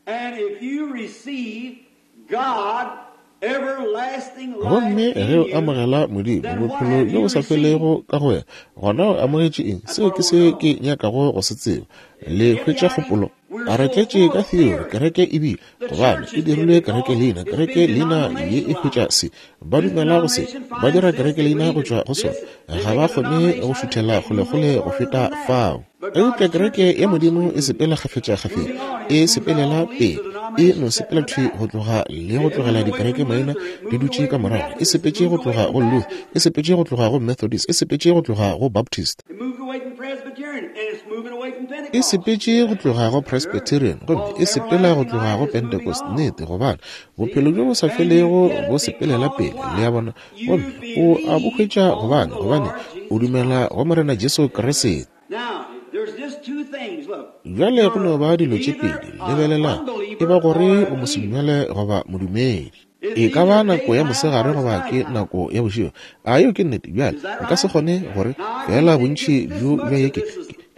Gomme ge o amogela Modimo, bophelo bjo bo sa felego ka go wena, gona o amogetše eng? Seo ke se ke nyakago go se tseba. Le hwetša kgopolo? A re tletše ka theory, kereke e bile, gobane e dirilwe kereke leina, kereke leina ye e hwetša se, ba dumela go se, ba dira kereke leina go tšwa go sona, ga ba kgone go šuthela kgolekgole go feta fao. Eupša kereke ya Modimo e sepela kgafetšakgafetša, e sepelela pele, e no sepela thwi go tloga le go tlogela dikereke maina di dutše ka morago, e sepetše go tloga go Luther, e sepetše go tloga go Methodist, e sepetše go tloga go Baptist, e sepetše go tloga go Presbyterian, gomme e sepela go tloga go Pentecost. Nnete, gobane bophelo bjo bo sa felego bo sepelela pele, le a bona, gomme o a bo hwetša gobane, gobane o dumela go Morena Jesu Kriste. Bjale go no ba dilo tše pedi, lebelelang, e ba gore o mosedumele goba modumedi. E ka ba nako ya mosegare goba ke nako ya bošego. A yeo ke nnete? Bjale, nka se kgone gore feela bontši bjo bja ye ke,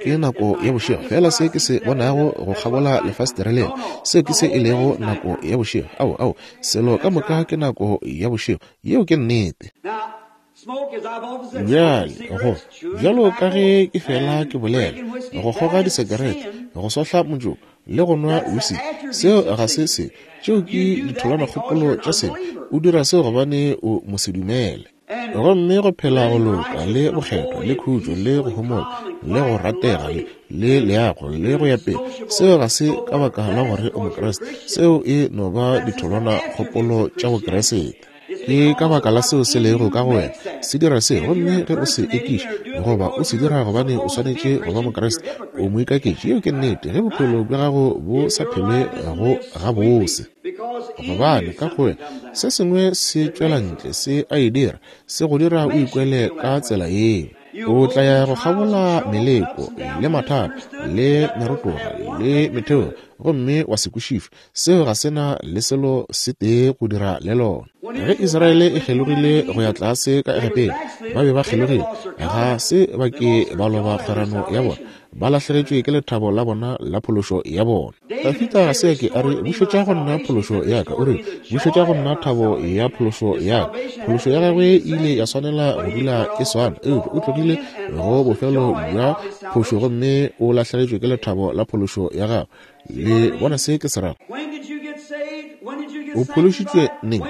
ke nako ya bošego. Feela se ke se bonago go kgabola lefastere lela, seo ke se e lego nako ya bošego. Ao, ao, selo ka moka ke nako ya bošego. Yeo ke nnete. Bjale, go, bjalo ka ge ke fela ke bolela, go kgoga disekerete, go sohla motšoko, le go nwa whisky, seo ga se se, tšeo ke ditholwanakgopolo tša sebe. O dira seo gobane o mosedumele. Gomme go phela go loka, le bokgethwa, le khutšo, le go homola, le go ratega, le, le leago, le go ya pele, seo ga se ka baka la gore o Mokriste, seo e no ba ditholwanakgopolo tša Bokriste. Ke ka baka la seo se lego ka go wena se dira se, gomme ge o se ekiša goba o se dira gobane o swanetše go ba Mokriste, o moikaketši. Yeo ke nnete, ge bophelo bja gago bo sa phelwe go gabose. Gobane ka go wena se sengwe se tšwela ntle, se a e dira, se go dira o ikwele ka tsela yeo. O tla ya go kgabola meleko le mathata le merotoga le metheo, gomme wa se kwešišwe. Seo ga se na le selo se tee go dira le lona. Ge Israele e kgelogile go ya tlase ka Egepeta, ba be ba kgelogile. Ga se ba ke ba loba kgwerano ya bona. Ba lahlegetšwe ke lethabo la bona la phološo ya bona. Dafida ga se a ke a re, Bušetša go nna phološo ya ka. O rile, Bušetša go nna thabo ya phološo ya ka. Phološo ya gagwe e ile ya swanela go dula e swana, eupša o tlogile go bofelo bja phošo gomme o lahlegetšwe ke lethabo la phološo ya gago. Le bona se ke se rago? O phološitšwe neng?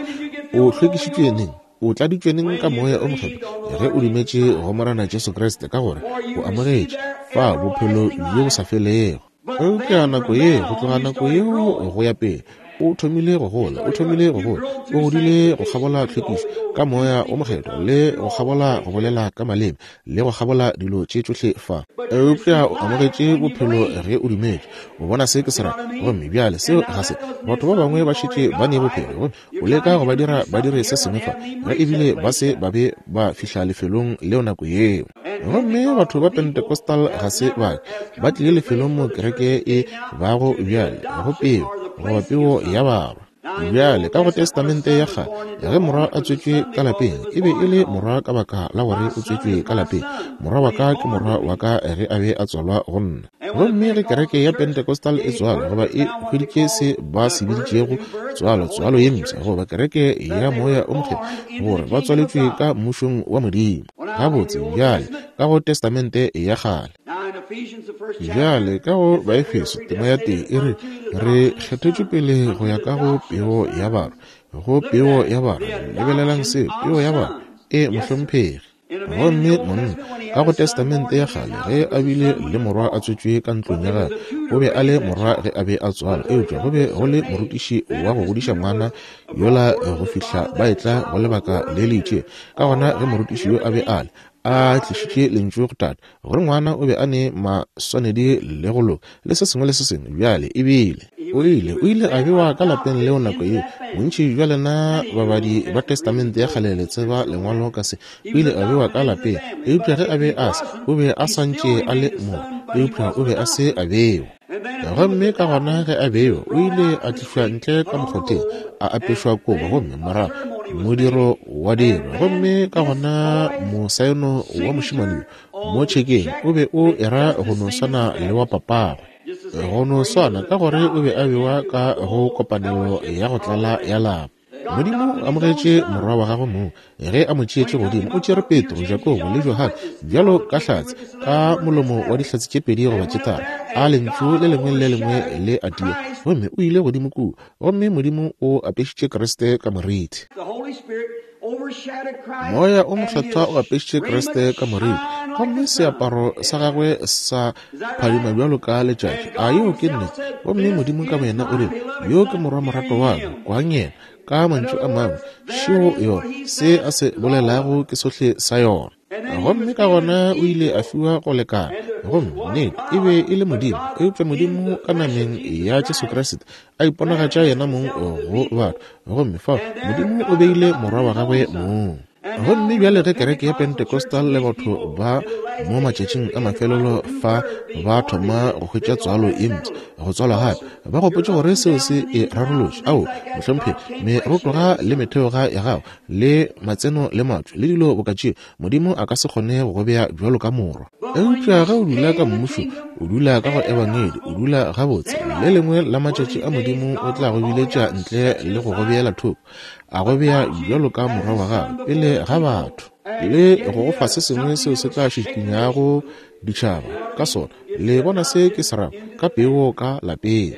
O hlwekišitšwe neng? O tladitšwe neng ka Moya o Mokgethwa? Ge o dumetše go Morena Jesu Kriste, ka gore o amogetše fa bophelo bjo bo sa felego. Eupša nako ye, go tloga nako yeo go ya pele, o thomile go gola, o thomile go gola, o godile go kgabola tlhwekišo ka Moya wo Mokgethwa, le go kgabola go bolela ka maleme, le go kgabola dilo tše tšohle fa. Eupša o amogetše bophelo ge o dumetše. O bona se ke se rago? Gomme bjale seo ga se. Batho ba bangwe ba šetše ba ne bophelo, gomme o leka go ba dira ba dire se sengwe fa, ge ebile ba se ba be ba fihla lefelong leo nako yeo. Gomme batho ba Pentecostal ga se ba ke ba tlile lefelong mo kereke e bago bjale, go peo, goba peo ya barwa. Bjale, ka go Testamente ya Kgale, ge morwa a tswetšwe ka lapeng, e be e le morwa ka baka la gore o tswetšwe ka lapeng. Morwa wa ka ke morwa wa ka ge a be a tswalwa go nna. Gomme ge kereke ya Pentecostal e tswalwa, goba e hweditše se ba se biditšego tswalo, tswalo ye mpsha, goba kereke ya Moya o Mokgethwa, gore ba tswaletšwe ka Mmušong wa Modimo. Gabotse, bjale, ka go Testamente ya Kgale. Bjale, ka go Baefeso, tema ya tee, e re, Re kgethetšwe pele go ya ka go peo ya barwa. Go peo ya barwa. Lebelelang seo, peo ya barwa. Ee, mohlomphegi. Gomme monna, ka go Testamente ya Kgale, ge a bile le morwa a tswetšwe ka ntlong ya gagwe, o be a le morwa ge a be a tswalwa, eupša go be go le morutiši wa go godiša ngwana yola go fihla ba etla go lebaka le le itšego. Ka gona ge morutiši yo a be a le, a tlišitše lentšu go tate, gore ngwana o be a ne maswanedi le go loka le se sengwe le se sengwe, bjale ebile o ile, o ile a bewa ka lapeng leo nako yeo. Bontši bja lena babadi ba Testamente ya Kgale le tseba Lengwalo ka se. O ile a bewa ka lapeng, eupša ge a be a se, o be a sa ntše a le morwa, eupša o be a se a bewa. Gomme ka gona ge a bewa, o ile a tlišwa ntle ka mokgotheng, a apešwa kobo, gomme morago modiro wa dirwa. Gomme ka gona mosaeno wa mošemane yo mo tšhekeng o be o era go no swana le wa papagwe, go no swana, ka gore o be a bewa ka go kopanelo ya go tlala ya lapa. Modimo o amogetše Morwa wa gagwe mong ge a mo tšeetše godimo. O tšere Petro, Jakobo le Johane bjalo ka hlatse, ka molomo wa dihlatse tše pedi goba tše tharo, a lentšu le lengwe le le lengwe le a tia. Gomme o ile godimo kua, gomme Modimo o apešitše Kriste ka morithi. Moya o Mokgethwa o apešitše Kriste ka morithi, gomme seaparo sa gagwe sa phadima bjalo ka letšatši. A yeo ke nnete? Gomme Modimo ka boyena o rile, Yo ke Morwa moratwa wa ka, kwang yena. Ka mantšu a mangwe, šeo yona, se a se bolelago ke sohle sa yona. Gomme ka gona o ile a fiwa go lekana. Gomme nnete, e be e le Modimo, eupša Modimo ka nameng ya Jesu Kriste a iponagatša yena mong go batho. Gomme fao Modimo o beile Morwa wa gagwe mong. Gomme bjale ge kereke ya Pentecostal le batho ba mo matšatšing a mafelelo fa ba thoma go hwetša tswalo ye mpsha, go tswalwa gape, ba gopotše gore seo se e rarolotše. Ao, mohlomphegi, merotoga le metheoga ya gago, le matseno le matšo, le dilo boka tšeo, Modimo a ka se kgone go go bea bjalo ka morwa. Eupša ge o dula ka Mmušong, o dula ka go Ebangedi, o dula gabotse, le lengwe la matšatši a Modimo o tla go biletša ntle le go go beela thoko, a go bea bjalo ka morwa wa gagwe pele ga batho, le go go fa se sengwe seo se tla šikinyago ditšhaba ka sona. Le bona se ke se rago? Ka peo ka lapeng.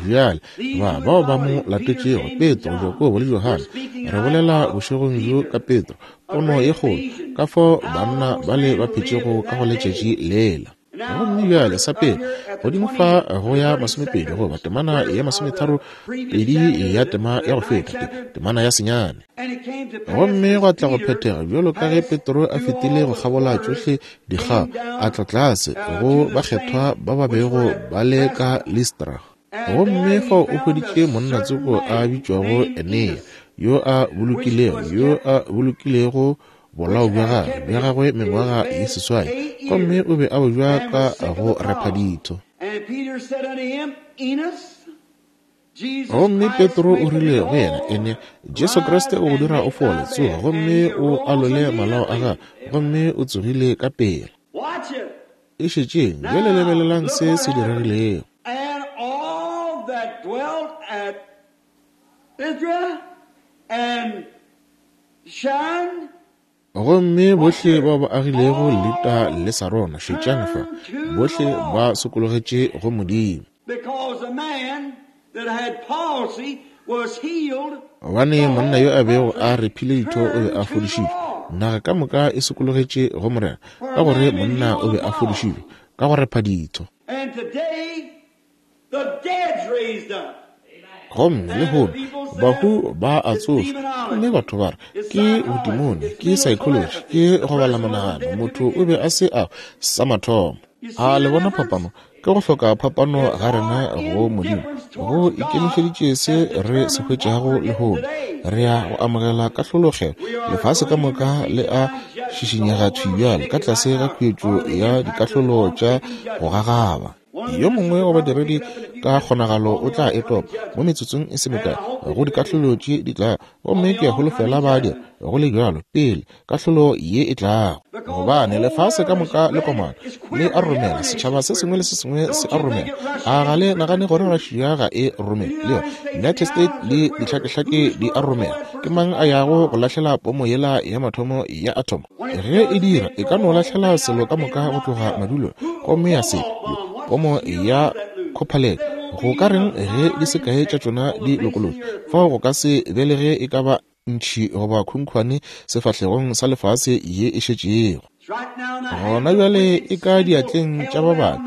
Bjale, ba bao ba mo latetšego, Petro, Jakobo le Johane, re bolela bošegong bjo ka Petro, pono ye kgolo, ka fao banna bale ba phetšego ka go letšatši lela. Gomme bjale, sa pele, godimo fa go ya masomepedi goba temana ya masometharo pedi ya tema ya go feta, te, temana ya senyane. Gomme gwa tla go phethega bjalo ka ge Petro a fetile go kgabola tšohle dikgao, a tla tlase go bakgethwa ba ba bego ba le ka Listra. Gomme fao o hweditše monna tsoko a bitšwago Enea, yo a bolokilego, yo a bolokilego bolao bja gagwe, bja gagwe mengwaga ye seswai, gomme o be a bo ja ka go repha ditho. Gomme Petro o rile go yena, Enea, Jesu Kriste o go dira o fole, tsoga gomme o alole malao a gago. Gomme o tsogile ka pela. E šetšeng, bjale lebelelang se se diregilego. And all that dwelt at Lystra and shunned. Gomme bohle bao ba agilego Lita le Sarona, šetšang fa, bohle ba sokologetše go Modimo. Gobane monna yo a bego a rephile ditho o be a fodišitšwe. Naga ka moka e sokologetše go Morena, ka gore monna o be a fodišitšwe ka go repha ditho. Gomme lehono bahu ba a tsošwa, gomme batho ba re ke bodimone, ke psychology, ke go bala monagano, motho o be a se a sa mathomo. A le bona phapano? Ke go hloka phapano ga rena go Modimo go ikemišeditše se re se hwetšago lehono. Re ya go amogela kahlologelo. Lefase ka moka le a šišinyega thwi bjale ka tlase ga khuetšo ya dikahlolo tša go gagaba. Yo mongwe wa badiredi ka kgonagalo o tla e topa mo metsotsong e se mekae go dikahlolo tše di tlago, gomme ke a holofela ba dira go le bjalo pele kahlolo ye e tlago, gobane lefase ka moka le komana le a romela, setšhaba se sengwe le se sengwe se a romela. A ga le nagane gore Russia ga e romele? Le yona United States le dihlakehlake di a romela. Ke mang a yago go lahlela pomo yela ya mathomo ya athomo? Ge e dira, e ka no lahlela selo ka moka go tloga madulong gomme ya se pomo ya khophalete. Go ka reng ge di se kae tša tšona di lokolotšwe? Fao go ka se be le ge e ka ba ntšhi goba khunkhwane sefahlegong sa lefase ye e šetšego. Gona bjale e ka diatleng tša ba babe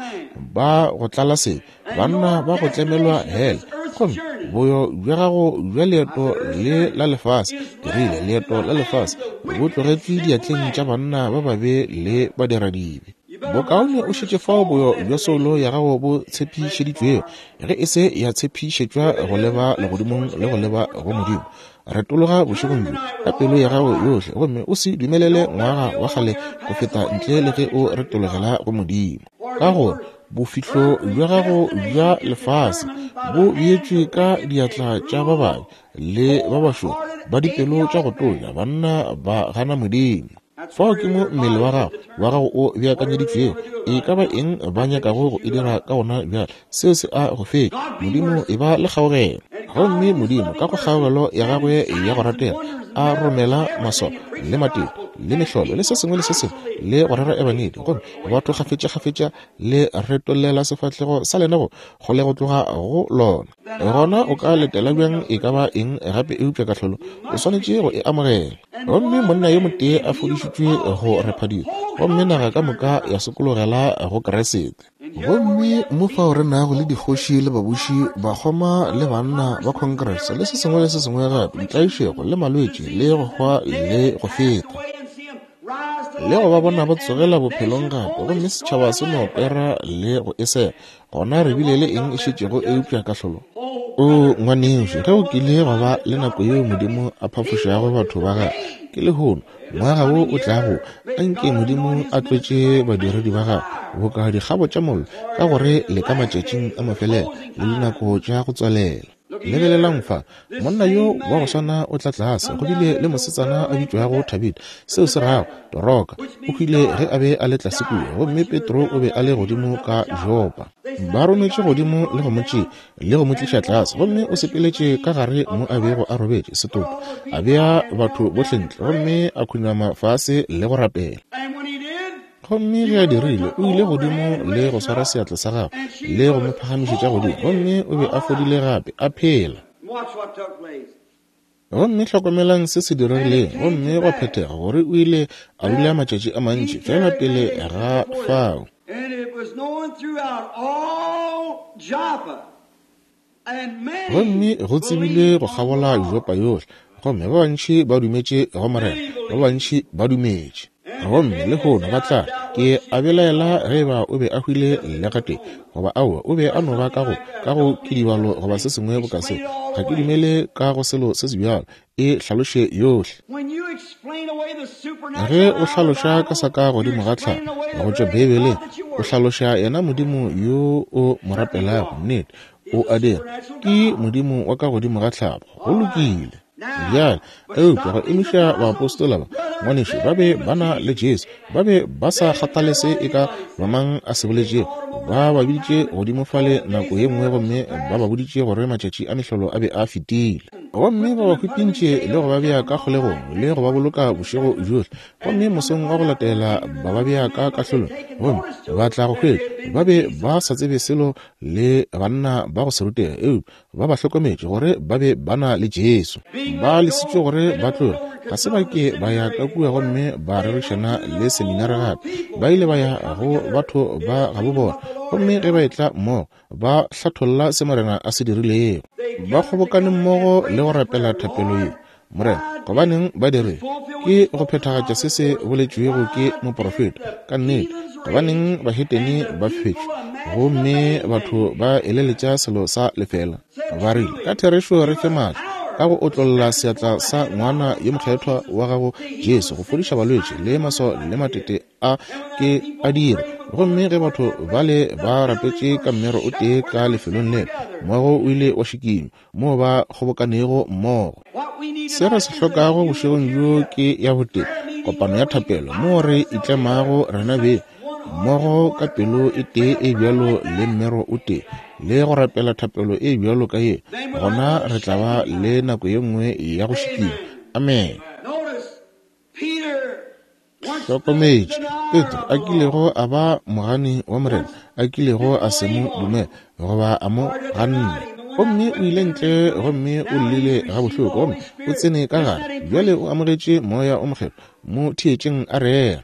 ba go tlala sebe, banna ba go tlemelwa hele. Gomme boyo bja gago bja leeto le la lefase, ke rile leeto la lefase, bo tlogetšwe diatleng tša banna ba babe le badiradibe. Bokaone o šetše fao boyo bja soulo ya gago bo tshepišeditšwego, ge e se ya tshepišetšwa go leba legodimong le go leba go Modimo. Retologa bošegong bjo ka pelo ya gago yohle gomme o se dumelele ngwaga wa kgale go feta ntle le ge o retologela go Modimo. Ka gore bofihlo bja gago bja lefase bo beetšwe ka diatla tša ba babe le ba bašoro ba dipelo tša go tonya, banna ba gana Modimo. Fao ke mo mmele wa gago, wa gago o beakanyeditšwego. E ka ba eng ba nyakago go e dira ka wona bjale, seo se a go fetša. Modimo, e ba le kgaogelo. Gomme Modimo, ka go kgaogelo ya Gagwe ya go ratega, a romela maswao le matete le mehlolo le se sengwe le se sengwe, le go rera Ebangedi, gomme batho kgafetšakgafetša le retollela sefahlego sa lena go kgole go tloga go lona. Gona o ka letela bjang e ka ba eng gape eupša kahlolo? O swanetše go e amogela. Gomme monna yo motee a fodišitšwe go rephadiwa, gomme naga ka moka ya sokologela go Kriste. Gomme mo fao re nago le dikgoši le babuši, bakgoma le banna ba Congress, le se sengwe le se sengwe gape, ditlaišego le malwetši le go hwa le go feta, le go ba bona ba tsogela bophelong gape, gomme setšhaba se no kwera le go e sega. Gona re bile le eng e šetšego eupša kahlolo? O ngwanešu, ge o kile gwa ba le nako yeo Modimo a phafošago batho ba gagwe, ke lehono, ngwaga wo o tlago, anke Modimo a tlotše badiredi ba gagwe boka dikgabo tša mollo, ka gore le ka matšatšing a mafelelo le dinako tša go tswalela. Lebelelang fa, monna yo wa go swana o tla tlase, go bile le mosetsana a bitšwago Tabitha, seo se rago, Doroka, o hwile ge a be a le tlase kua, gomme Petro o be a le godimo ka Jopa. Ba rometše godimo le go mo tšea, le go mo tliša tlase, gomme o sepeletše ka gare mo a bego a robetše, setopo, a bea batho bohle ntle, gomme a khunama fase le go rapela. Gomme ge a dirile, o ile godimo le go swara seatla sa gagwe le go mo phagamišetša godimo, gomme o be a fodile gape, a phela. Gomme hlokomelang se se diregileng, gomme gwa phethega gore o ile a dula matšatši a mantši feela pele ga fao. Gomme go tsebile go kgabola Yuropa yohle, gomme ba bantši ba dumetše go Morena, ba bantši ba dumetše. Gomme lehono ba tla re, Ke a belaela ge eba o be a hwile le gatee, goba aowa, o be a no ba ka go, ka go kidibalo goba se sengwe boka seo. Ga ke dumele ka go selo se sebjalo. E hlaloše yohle. Ge o hlaloša ka sa ka godimo ga tlhago go tšwa Beibeleng, o hlaloša yena Modimo yo o mo rapelago. Nnete, o a dira. Ke Modimo wa ka godimo ga tlhago. Go lokile. Bjale, eupša go emiša baapostola ba, ngwanešu, ba be ba na le Jesu. Ba be ba sa kgathale se e ka ba mang a se boletšego. Ba ba biditše godimo fale nako ye nngwe gomme ba ba boditše gore matšatši a mehlolo a be a fetile. Gomme ba ba hwipintše le go ba bea ka kgolegong le go ba boloka bošego bjohle, gomme mosong wa go latela ba ba bea ka kahlolong, gomme ba tla go hwetša ba be ba sa tsebe selo le banna ba go se rutege, eupša ba ba hlokometše gore ba be ba na le Jesu. Ba lesitšwe gore ba tloge, ga se ba ke ba ya ka kua gomme ba rerišana le seminare gape. Ba ile ba ya go batho ba gabo bona, gomme ge ba etla mmogo ba hlatholla se Morena a se dirilego. Ba kgobokane mmogo le go rapela thapelo ye, Morena, gobaneng ba dirile? Ke go phethagatša se se boletšwego ke moprofeta. Ka nnete, gobaneng bahetene ba fetšwe gomme batho ba eleletša selo sa lefela? Ba rile, Ka therešo re fe maatla ka go otlolla seatla sa ngwana yo mokgethwa wa gago Jesu go fodiša balwetši le maswao le matete a ke a dira. Gomme ge batho bale ba rapetše ka mmero o tee ka lefelong lela, moago o ile wa šikinywa moo ba kgobokanego mmogo. Se re se hlokago bošegong bjo ke ya botee, kopano ya thapelo, moo re itlemago rena beng mmogo ka pelo e tee e bjalo le mmero o tee, le go rapela thapelo e bjalo ka ye, gona re tla ba le nako ye nngwe ya go šikinywa. Amene. Hlokometše, Petro a kilego a ba mogani wa Morena, a kilego a se mo dumele goba a mo ganne. Gomme o ile ntle gomme o llile gabohloko, gomme o tsene ka gare. Bjale o amogetše Moya o Mokgethwa. Mo theetšeng a rera.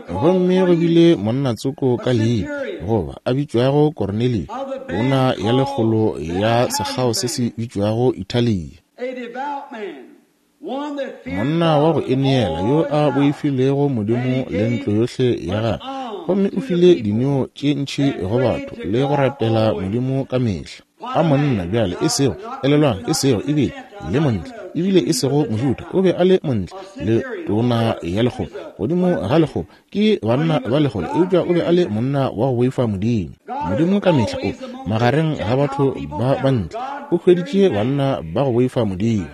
Gomme go bile monna tsoko ka leina, goba a bitšwago Kornelio, tona ya lekgolo ya sekgao se se bitšwago Italia. Monna wa go ineela yo a boifilego Modimo le ntlo yohle ya gagwe, gomme o file dineo tše ntši go batho le go rapela Modimo ka mehla. A monna bjale, e sego, elelwang, e sego ebile le montle, ebile e sego Mojuda, o be a le montle le tona ya lekgolo, godimo ga lekgolo, ke banna ba lekgolo, eupša o be a le monna wa go boifa Modimo. Modimo ka mehla o magareng ga batho ba bantle, o hweditše banna ba go boifa Modimo.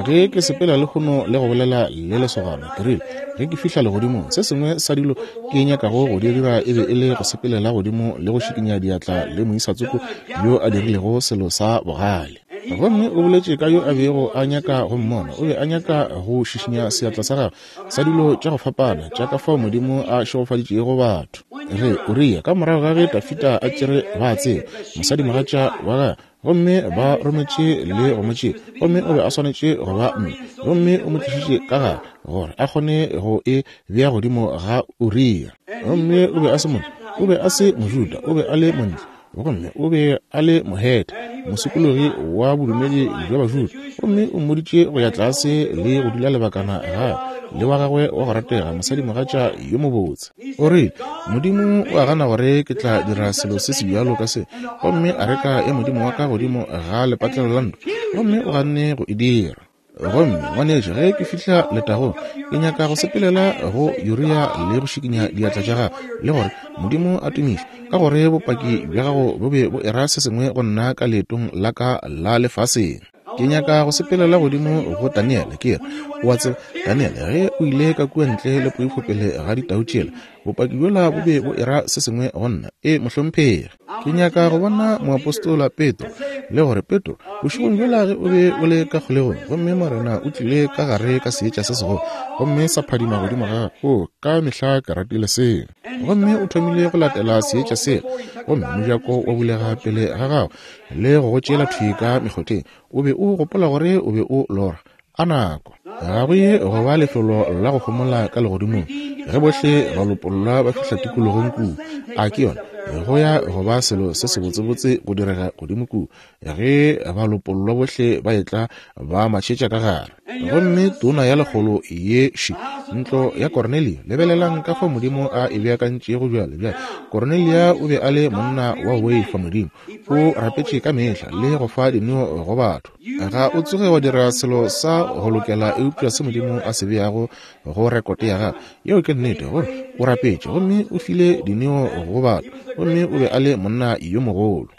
Ge ke sepela lehono le go bolela le lesogana, ke rile, ge ke fihla legodimong, se sengwe sa dilo ke nyakago go di dira e be e le go sepelela godimo le go šikinya diatla le moisa tsoko yo a dirilego selo sa bogale. Gomme o boletše ka yo a bego a nyaka go mmona, o be a nyaka go šišinya seatla sa gagwe sa dilo tša go fapana tša ka fao Modimo a šegofaditšego batho. Ge Uria, ka morago ga ge Dafida a tšere Batseba, mosadimogatša wa gagwe, gomme ba rometše le go mo tšea, gomme o be a swanetše go ba mme, gomme o mo tlišitše ka gare gore a kgone go e bea godimo ga Uria. Gomme o be a se montle, o be a se Mojuda, o be a le montle, gomme o be a le Mohethe, mosokologi wa bodumedi bja Bajuda, gomme o mmoditše go ya tlase le go dula lebakana gae le wa gagwe wa go ratega, mosadimogatša yo mobotse. O rile, Modimo o a gana gore ke tla dira selo se se bjalo ka se, gomme areka ya Modimo wa ka godimo ga lepatlelo la ntlo, gomme o ganne go e dira. Gomme, ngwanešu, ge ke fihla letagong, ke nyaka go sepelela go Uria le go šikinya diatla tša gagwe, le gore, Modimo a tumišwe, ka gore bopaki bja gago bo be bo era se sengwe go nna ka leetong la ka la lefaseng. Ke nyaka go sepelela godimo go Daniele, ke re, O a tseba, Daniele, ge o ile ka kua ntle le poifo pele ga ditau tšela, bopaki bjola bo be bo era se sengwe go nna. E, mohlomphegi. Ke nyaka go bona moapostola Petro, le gore, Petro, bošegong bjola ge o be o le ka kgolegong, gomme Morena o tlile ka gare ka seetša se segolo, gomme sa phadima godimo ga gago. Oo, ka mehla ke ratile seo. Gomme o thomile go latela seetša sela, gomme mojako wa bulega pele ga gago, le go go tšeela thwi ka mekgotheng. O be o gopola gore o be o lora. A nako! Ga go ye go ba lefelo la go homola ka legodimong ge bohle balopollwa ba fihla tikologong kua. A ke yona? Go ya go ba selo se sebotsebotse go direga godimo kua ge balopollwa bohle ba etla ba matšhetša ka gare. Gomme tona ya lekgolo ye še, ntlo ya Kornelio, lebelelang ka fao Modimo a e beakantšego bjale. Bjale, Kornelia o be a le monna wa go boifa Modimo. O rapetše ka mehla le go fa dineo go batho. Ga o tsoge wa dira selo sa go lokela eupša se Modimo a se beago go rekote ya gago. Yeo ke nnete, gore o rapetše gomme o file dineo go batho, gomme o be a le monna yo mogolo.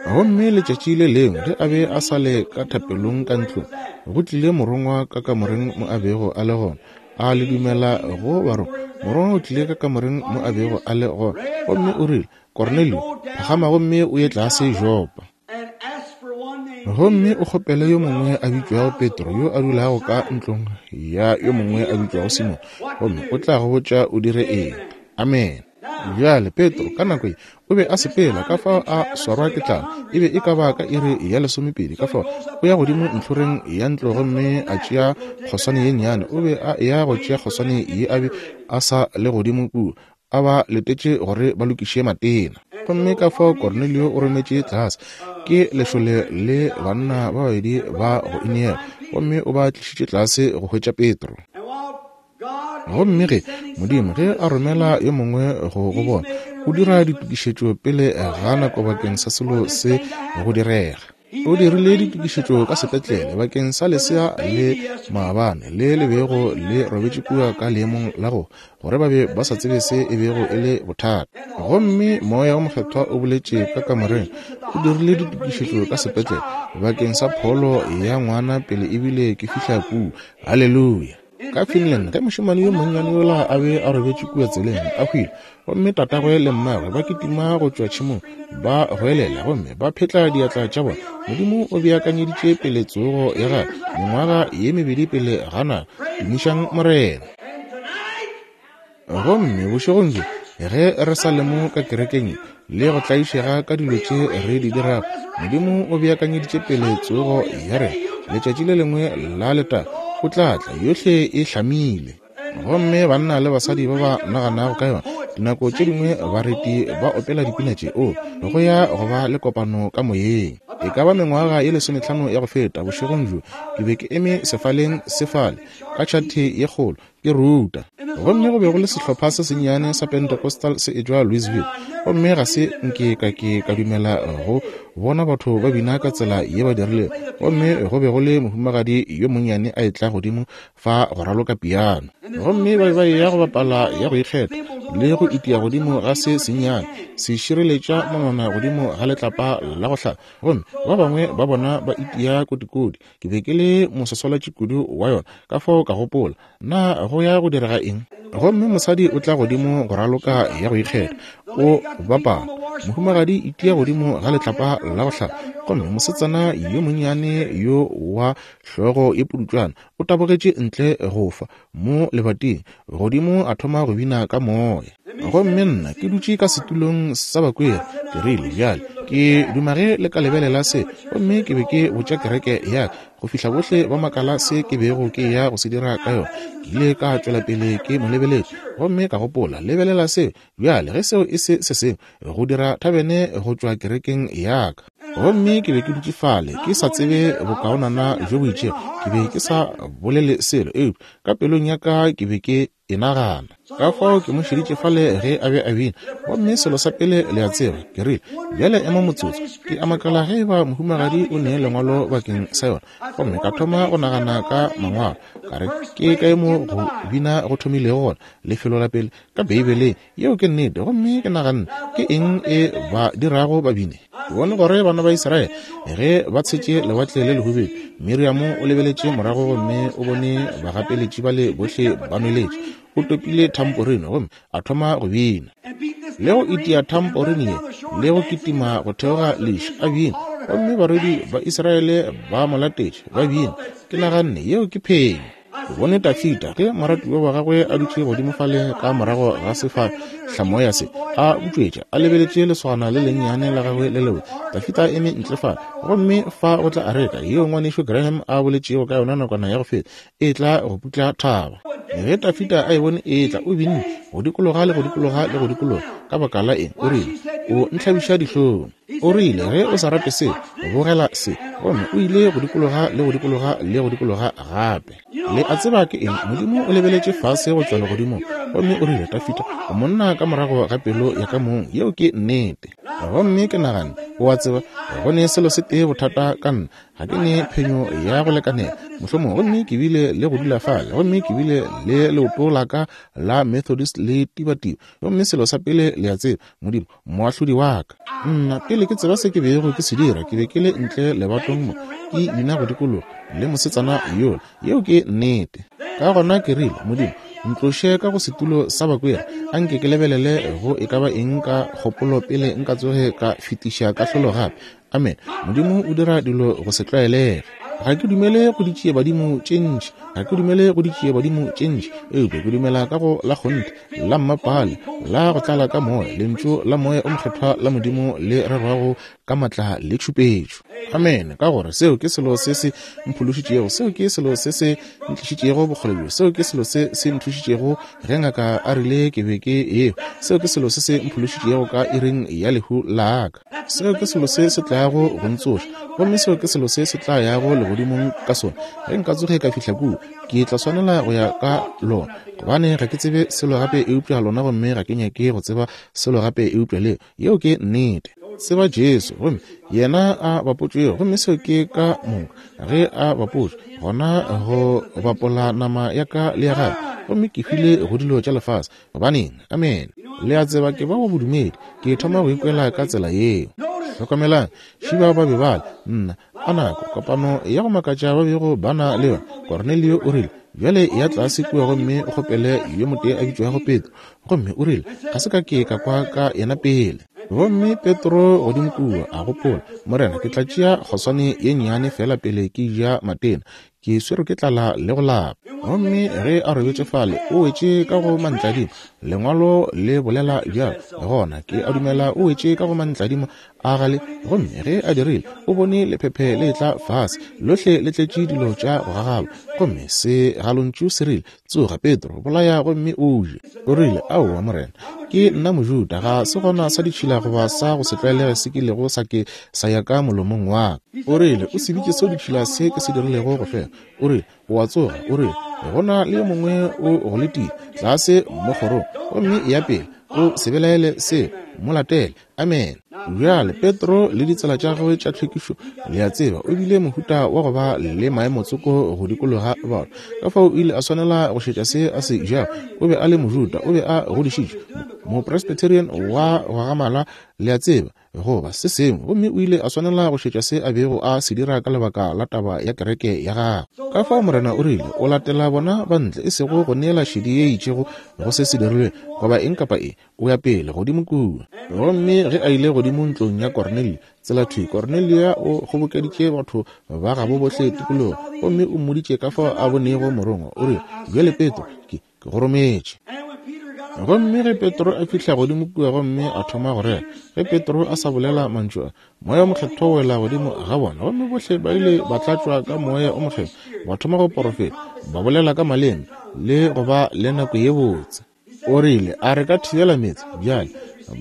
Gomme letšatši le lengwe ge a be a sa le ka thapelong ka ntlong, go tlile morongwa ka kamoreng mo a bego a le gona. A le dumela go barongwa? Morongwa o tlile ka kamoreng mo a bego a le gona, gomme o rile, Kornelio, phagama gomme o ye tlase Jopa. Gomme o kgopele yo mongwe a bitšwago Petro, yo a dulago ka ntlong ya yo mongwe a bitšwago Simone, gomme o tla go botša o dire eng. Amene. Bjale, Petro, ka nako ye, o be a sepela, ka fao a swarwa ke tlala. E be e ka ba ka iri ya lesomepedi, ka fao o ya godimo ntlhoreng ya ntlo gomme a tšea kgoswane ye nnyane. O be a eya go tšea kgoswane ye a be a sa le godimo kua, a ba letetše gore ba lokiše matena. Gomme ka fao Kornelio o rometše tlase ke lešole le banna ba babedi ba go ineela, gomme o ba tlišitše tlase go hwetša Petro. Gomme ge Modimo ge a romela yo mongwe go go bona, o dira ditokišetšo pele ga nako bakeng sa selo se go direga. O dirile ditokišetšo ka sepetlele bakeng sa lesea le maabane le le bego le robetše kua ka leemong la go gore ba be ba sa tsebe se e bego e le bothata. Gomme Moya wo Mokgethwa o boletše ka kamoreng, o dirile ditokišetšo ka sepetlele bakeng sa pholo ya ngwana pele ebile ke fihla kua. Haleluya! Ka Finland, ge mošemane yo monnyane yola a be a robetše kua tseleng, a hwile, gomme tatagwe le mmagwe ba kitima go tšwa tšhemong, ba goelela gomme ba phetla diatla tša bona, Modimo o beakanyeditše pele tsogo ya gagwe mengwaga ye mebedi pele ga nako. Tumišang Morena! Gomme bošegong bjo, ge re sa le mo ka kerekeng ye, le go tlaišega ka dilo tše re di dirago, Modimo o beakanyeditše pele tsogo ya rena. Letšatši le lengwe la letago, O tla tla, yohle e hlamile. Gomme banna le basadi ba ba naganago ka yona, dinako tše dingwe bareti ba opela dipina tše, o, go ya go ba le kopano ka moyeng. E ka ba mengwaga ye lesometlhano ya go feta, bošegong bjo, ke be ke eme sefaleng se fale, ka tšhathe ye kgolo, ke ruta. Gomme go be go le sehlopha se sennyane sa Pentecostal se etšwa Louisville, gomme ga se nke ka ke ka dumela go bona batho ba bina ka tsela ye ba dirilego. Gomme go be go le mohumagadi yo monnyane a etla godimo fa go raloka piano, gomme ba be ba eya go bapala ya go ikgetha le go itia godimo ga se sennyane se šireletša monwana godimo ga letlapa la go hlaba, gomme ba bangwe ba bona ba itia kotikoti. Ke be ke le moswaswalatši kudu wa yona, ka fao ka gopola, Na go ya go direga eng? Gomme mosadi o tla godimo go raloka ya go ikgetha, o bapala. Mohumagadi itia godimo ga letlapa la go hlapa, gomme mosetsana yo monnyane yo wa hlogo ye pudutšwana o tabogetše ntle go fa mo lebating, godimo a thoma go bina ka moya. Gomme nna ke dutše ka setulong sa bakweri, ke rile, Bjale, ke duma ge le ka lebelela se. Gomme ke be ke botša kereke ya ka, go fihla bohle ba makala se ke bego ke ya go se dira ka yona. Ke ile ka tšwela pele ke mo lebeletše, gomme ka gopola, Lebelela seo bjale, ge seo e se se sengwe go dira thabene go tšwa kerekeng ya ka. Gomme ke be ke dutše fale, ke sa tsebe bokaonana bjo bo itšego. Ke be ke sa bolele selo, eupša ka pelong ya ka ke be ke e nagana. Ka fao ke mo šeditše fale ge a be a bina. Gomme selo sa pele le a tseba, ke rile, Bjale ema motsotso. Ke a makala ge eba mohumagadi o ne lengwalo bakeng sa yona. Gomme ka thoma go nagana ka mangwalo. Ka re, Ke kae mo go bina go thomilego gona? Lefelo la pele ka Beibeleng. Yeo ke nnete. Gomme ke naganne, Ke eng e ba dirago ba bine? Ke bone gore bana ba Israele ge ba tshetše Lewatle le Lehubedu, Miriamo o lebeletše morago gomme o bone bagapeletši bale bohle ba nweletše. O topile thamporine gomme a thoma go bina. Le go itia thamporine ye, le go kitima go theoga leši, a bina. Gomme barwedi ba Israele ba mo latetše, ba bina. Ke naganne, Yeo ke phenyo. Ke bone Dafida ge moratiwa wa gagwe a dutše godimo fale ka morago ga sefahlamoya se, a butšwetša, a lebeletše lesogana le lennyane la gagwe le lebotse. Dafida a eme ntle fale, gomme fa go tla areka yeo ngwanešu Graham a boletšego ka yona nakwana ya go feta, e tla go putla thaba. Ge Dafida a e bone e etla, o binne go dikologa le go dikologa le go dikologa. Ka baka la eng? O rile, O ntlhabiša dihlong. O rile, Ge o sa rate se, bogela se. Gomme o ile go dikologa le go dikologa le go dikologa gape. Le a tseba ke eng? Modimo o lebeletše fase go tšwa legodimong, gomme o rile, Dafida, o monna ka morago ga pelo ya ka mong. Yeo ke nnete. Gomme ke naganne, O a tseba, go ne selo se tee bothata ka nna. Ga ke ne phenyo ya go lekanela, mohlomongwe. Gomme ke bile le go dula fale, gomme ke bile le leoto la ka la Methodist le tibatiba. Gomme selo sa pele le a tseba, Modimo, moahlodi wa ka. Nna, pele ke tseba se ke bego ke se dira, ke be ke le ntle lebatong mo, ke bina go dikologa le mosetsana yola. Yeo ke nnete. Ka gona ke rile, Modimo, Ntloše ka go setulo sa bakweri, a nke ke lebelele go e ka ba eng ka kgopolo pele nka tsoge ka fetiša kahlolo gape. Amen. Modimo o dira dilo go se tlwaelege. Ga ke dumele go ditšiebadimo tše ntši, ga ke dumele go ditšiebadimo tše ntši, eupša ke dumela ka go la kgonthe, la mmapale, la go tlala ka Moya, Lentšu la Moya o Mokgethwa la Modimo le rerwago ka matla le tšhupetšo. Amene. Ka gore seo ke selo se se mphološitšego, seo ke selo se se ntlišitšego bokgole bjo, seo ke selo se se nthušitšego ge ngaka a rile ke be ke eo, seo ke selo se se mphološitšego ka iring ya lehu la ka. Seo ke selo se se tlago go ntsoša, gomme seo ke selo se se tla yago legodimong ka sona. Ge nka tsoge ka fihla kua, ke tla swanela go ya ka lona, gobane ga ke tsebe selo gape eupša lona, gomme ga ke nyake go tseba selo gape eupša leo. Yeo ke nnete. Tseba Jesu, gomme yena a bapotšwego, gomme seo ke ka moka. Ge a bapotšwe, gona go bapola nama ya ka le ya gagwe, gomme ke hwile go dilo tša lefase. Gobaneng? Amene. Le a tseba ke ba wa bodumedi, ke thoma go ikwela ka tsela yeo. Hlokomelang, šiba ba be ba le, nna, a nako, kopano ya go makatša ba bego ba na le yona. Kornelio o rile, Bjale ya tlase kua gomme o kgopele yo motee a bitšwago Petro. Gomme o rile, Ga se ka ke ka kwa ka yena pele. Gomme Petro godimo kua, a gopola, Morena, ke tla tšea kgoswane ye nnyane feela pele ke ja matena. Ke swerwe ke tlala le go lapa. Gomme ge a robetše fale, o wetše ka go mantladima. Lengwalo le bolela bjalo. Gona ke a dumela o wetše ka go mantladima a gale. Gomme ge a dirile, o bone lephephe le etla fase, lohle le tletše dilo tša go gagaba. Gomme segalontšu se rile, Tsoga, Petro, bolaya gomme o je. O rile, Aowa, Morena, ke nna Mojuda, ga se gona sa ditšhila goba sa go se tlwaelege se kilego sa ke sa ya ka molomong wa ka. O rile, O se bitše seo ditšhila se ke se dirilego go fela. O rile, O a tsoga. O rile, Go na le yo mongwe o go letile tlase mo kgorong, gomme eya pele, o se belaele seo, mo latele. Amene. Bjale, Petro le ditsela tša gagwe tša tlhwekišo, le a tseba, o bile mohuta wa go ba le maemotsoko go dikologa batho. Ka fao o ile a swanela go šetša se a se jago. O be a le Mojuda, o be a godišitšwe, Mopresbyterian wa go gamala, le a tseba, goba se sengwe. Gomme o ile a swanela go šetša se a bego a se dira ka lebaka la taba ya kereke ya gagwe. Ka fao Morena o rile, O latela bona ba ntle, e sego go neela šedi ye itšego go se se dirilwe, goba eng kapa eng. O ya pele godimo kua. Gomme ge a ile godimo ntlong ya Kornelio, tsela thwi, Kornelia o kgobokeditše batho ba gabo bohle tikologong, gomme o mmoditše ka fao a bonego morongwa. O rile, Bjale, Petro, ke, ke go rometše. Gomme ge Petro a fihla godimo kua gomme a thoma go rera, ge Petro a sa bolela mantšu a, Moya o Mokgethwa wa wela godimo ga bona, gomme bohle ba ile ba tlatšwa ka Moya o Mokgethwa, ba thoma go porofeta, ba bolela ka maleme, le go ba le nako ye botse. O rile, A re ka thibela meetse? Bjale,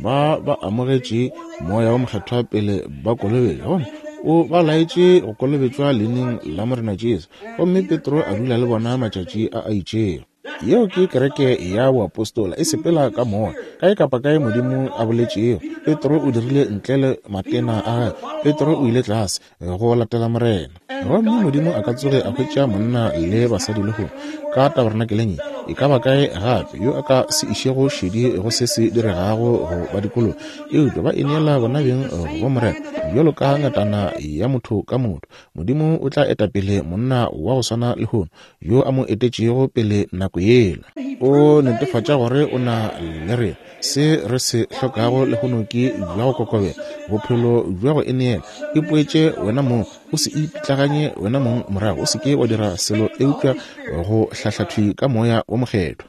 ba ba amogetše Moya wo Mokgethwa pele ba kolobetšwa, gomme o ba laetše go kolobetšwa leineng la Morena Jesu. Gomme Petro a dula le bona matšatši a a itšego. Yeo ke kereke ya boapostola e sepela ka Moya, kae kapa kae Modimo a boletšego. Petro o dirile ntle le matena a gagwe. Petro o ile tlase go latela Morena. Gomme Modimo a ka tsoge a hwetša monna le basadi lehono ka tabernakeleng ye, e ka ba kae gape, yo a ka se išego šedi go se se diregago go ba dikolong, eupša ba ineela bona beng go Morena bjalo ka ngatana ya motho ka motho. Modimo o tla eta pele monna wa go swana lehono yo a mo etetšego pele nako yela. O netefatša gore o na le rena. Se re se hlokago lehono ke bja go kokobela, bophelo bja go ineela. Ipoetše wena mong, o se ipitlaganye wena mong morago, o se ke wa dira selo eupša go hlahlathwi ka Moya wo Mokgethwa.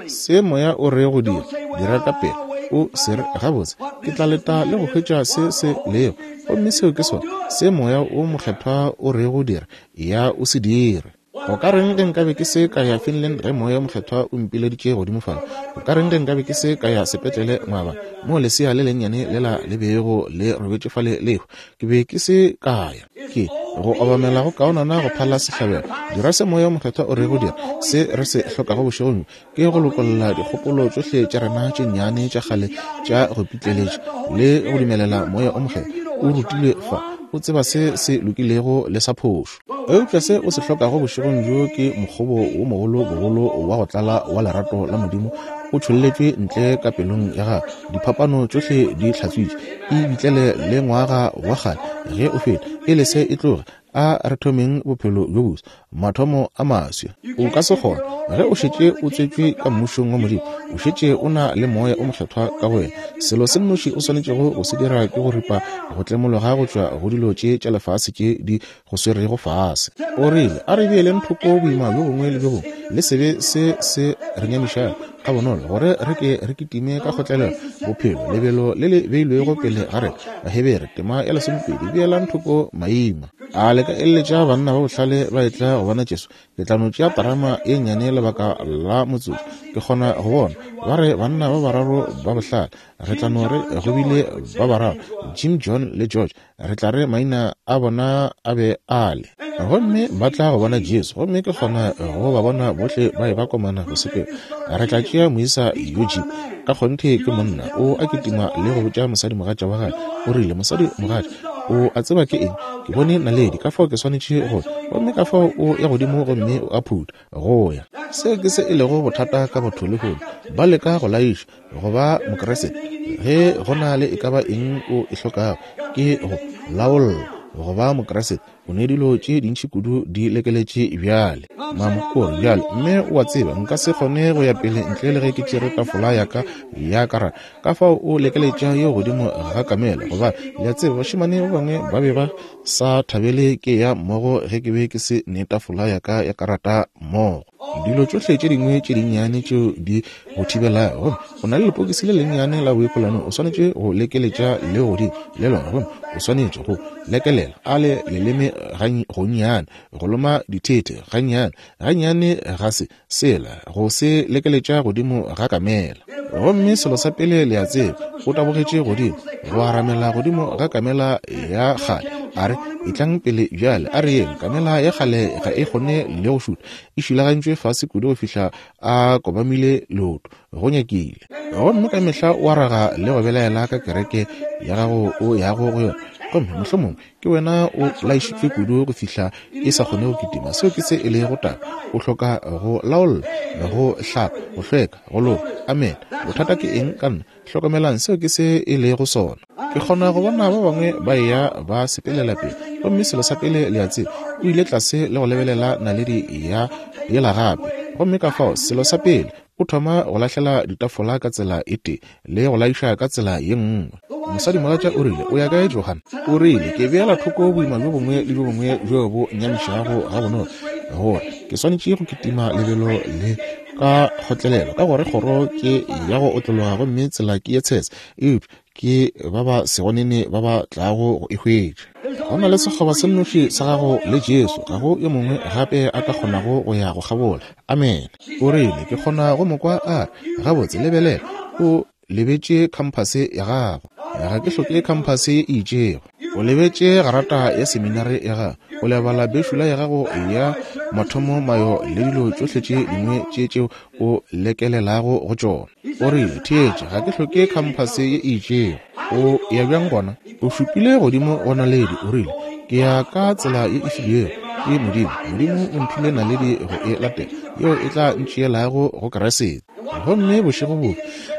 Se Moya o re go dira, dira ka pela. O se re, Gabotse, ke tla leta le go hwetša se se lego. Gomme seo ke sona se Moya wo Mokgethwa o rego dira, eya o se dire. Go ka reng ge nkabe ke se ka ya Finland ge Moya wo Mokgethwa o mpileditše godimo fale? Go ka reng ge nkabe ke se ka ya sepetlele moaba moo lesea le lennyane lela le bego le robetše fale le ehwa? Ke be ke se ka ya. Ke go obamela go kaonana go phala sehlabelo. Dira se Moya wo Mokgethwa o rego dira. Se re se hlokago bošegong bjo ke go lokolla dikgopolo tšohle tša rena tše nnyane tša kgale tša go pitleletša le go dumelela Moya o Mokgethwa o rutilwe fa, o tseba se se lokilego le sa phošo. Eupša se o se hlokago bošegong bjo ke mokgobo wo mogolo bogolo wa go tlala wa lerato la Modimo o tšholletšwe ntle ka pelong ya gago, diphapano tšohle di hlatswitše, e bitlele le ngwaga wa kgale ge o feta, e lese e tloge. A re thomeng bophelo bjo boswa, mathomo a maswa. O ka se kgone. Ge o šetše o tswetšwe ka Mmušong wa Modimo, o šetše o na le Moya o Mokgethwa ka go wena. Selo se nnoši o swanetšego go se dira ke go ripa go tlemologa go tšwa go dilo tše tša lefase tše di go swerego fase. O rile, A re beeleng thoko boima bjo bongwe le bjo bongwe le sebe se se re nyamišago gabonolo, gore re ke re kitime ka kgotlelelo bophelo lebelo le le beilwego pele ga rena. Bahebere tema ya 12, beelang thoko maima. A le ka eleletša banna ba bohlale ba etla go bona Jesu? Ke tla no tšea terama ye nnyane lebaka la motsotso. Ke kgona go bona ba re banna ba bararo ba bohlale. Re tla no re go bile ba bararo, Jim, John le George. Re tla re maina a bona a be a le. Gomme ba tla go bona Jesu, gomme ke kgona go ba bona bohle ba e ba komana go sepela. Re tla tšea moisa yo Jim. Ka kgonthe ke monna, o a kitima le go botša mosadimogatša wa gagwe. O rile, Mosadimogatša, o a tseba ke eng? Ke bone naledi, ka fao ke swanetše go. Gomme ka fao o ya godimo gomme o a phutha, go ya. Seo ke se e lego bothata ka batho lehono. Ba leka go laiša, go ba Mokriste. Ge go na le e ka ba eng o e hlokago, ke go laolla, go ba Mokriste. O ne dilo tše dintši kudu di lekeletše bjale. Mama o re, Bjale, mme o a tseba, nka se kgone go ya pele ntle le ge ke tšere tafola ya ka ya karata. Ka fao o lekeletša yeo godimo ga kamela, gobane, le a tseba, bašemane ba bangwe ba be ba sa thabele ke ya mmogo ge ke be ke se ne tafola ya ka ya karata mmogo. Dilo tšohle tše dingwe tše dinnyane tšeo di go thibelago, gomme o na le lepokisi le lennyane la boikolano, o swanetše go lekeletša le godimo le lona, gomme o swanetše go lekelela a le leleme gonnyane, go loma dithethe gannyane, gannyane ga se sela, go se lekeletša godimo ga kamela. Gomme selo sa pele le a tseba, o tabogetše godimo, go aramela godimo ga kamela ya kgale, a re, Etlang pele bjale, a re yeng. Kamela ya kgale ga e kgone le go šutha, e šilagantšwe fase kudu go fihla a kobamile leoto, go nyakile. Gomme ka mehla o araga le go belaela ka kereke ya gago o yago go yona, gomme mohlomongwe ke wena o laišitšwe kudu go fihla e sa kgone go kitima. Seo ke se e lego taba. O hloka go laolla, go hlapa, go hlweka, go loka. Amen. Bothata ke eng ka nna? Hlokomelang, seo ke se e lego sona. Ke kgona go bona ba bangwe ba eya ba sepelela pele, gomme selo sa pele le a tseba, o ile tlase le go lebelela naledi ya yela gape. Gomme ka fao, selo sa pele, o thoma go lahlela ditafola ka tsela e tee le go laiša ka tsela ye nngwe. Mosadimogatša o rile, O ya kae, Johan? O rile, Ke beela thoko boima bjo bongwe le bjo bongwe bjo bo nyamišago gabonolo, gore ke swanetše go kitima lebelo le ka kgotlelelo, ka gore kgoro ke ya go otlologa gomme tsela ke ye tshese, eupša ke ba ba sego nene ba ba tlago go e hwetša. Go na le sekgoba se nnoši sa gago le Jesu, ga go yo mongwe gape a ka kgonago go ya go kgabola. Amene. O rile, Ke kgona go mo kwa a re, Gabotse, lebelela, o lebetše khamphase ya gago. Ga ke hloke khamphase e itšego. O lebetše garata ya seminare ya gago. O lebala bešula ya gago ya mathomo mayo le dilo tšohle tše dingwe tše tšeo o lekelelago go tšona. O rile, Theetša, ga ke hloke khamphase ye e itšego. O ya bjang gona? O šupile godimo go naledi, o rile, Ke ya ka tsela ye e filwego ke Modimo. Modimo o mphile naledi go e latela, yeo e tla ntšeelago go Kriste. Gomme bošego bo,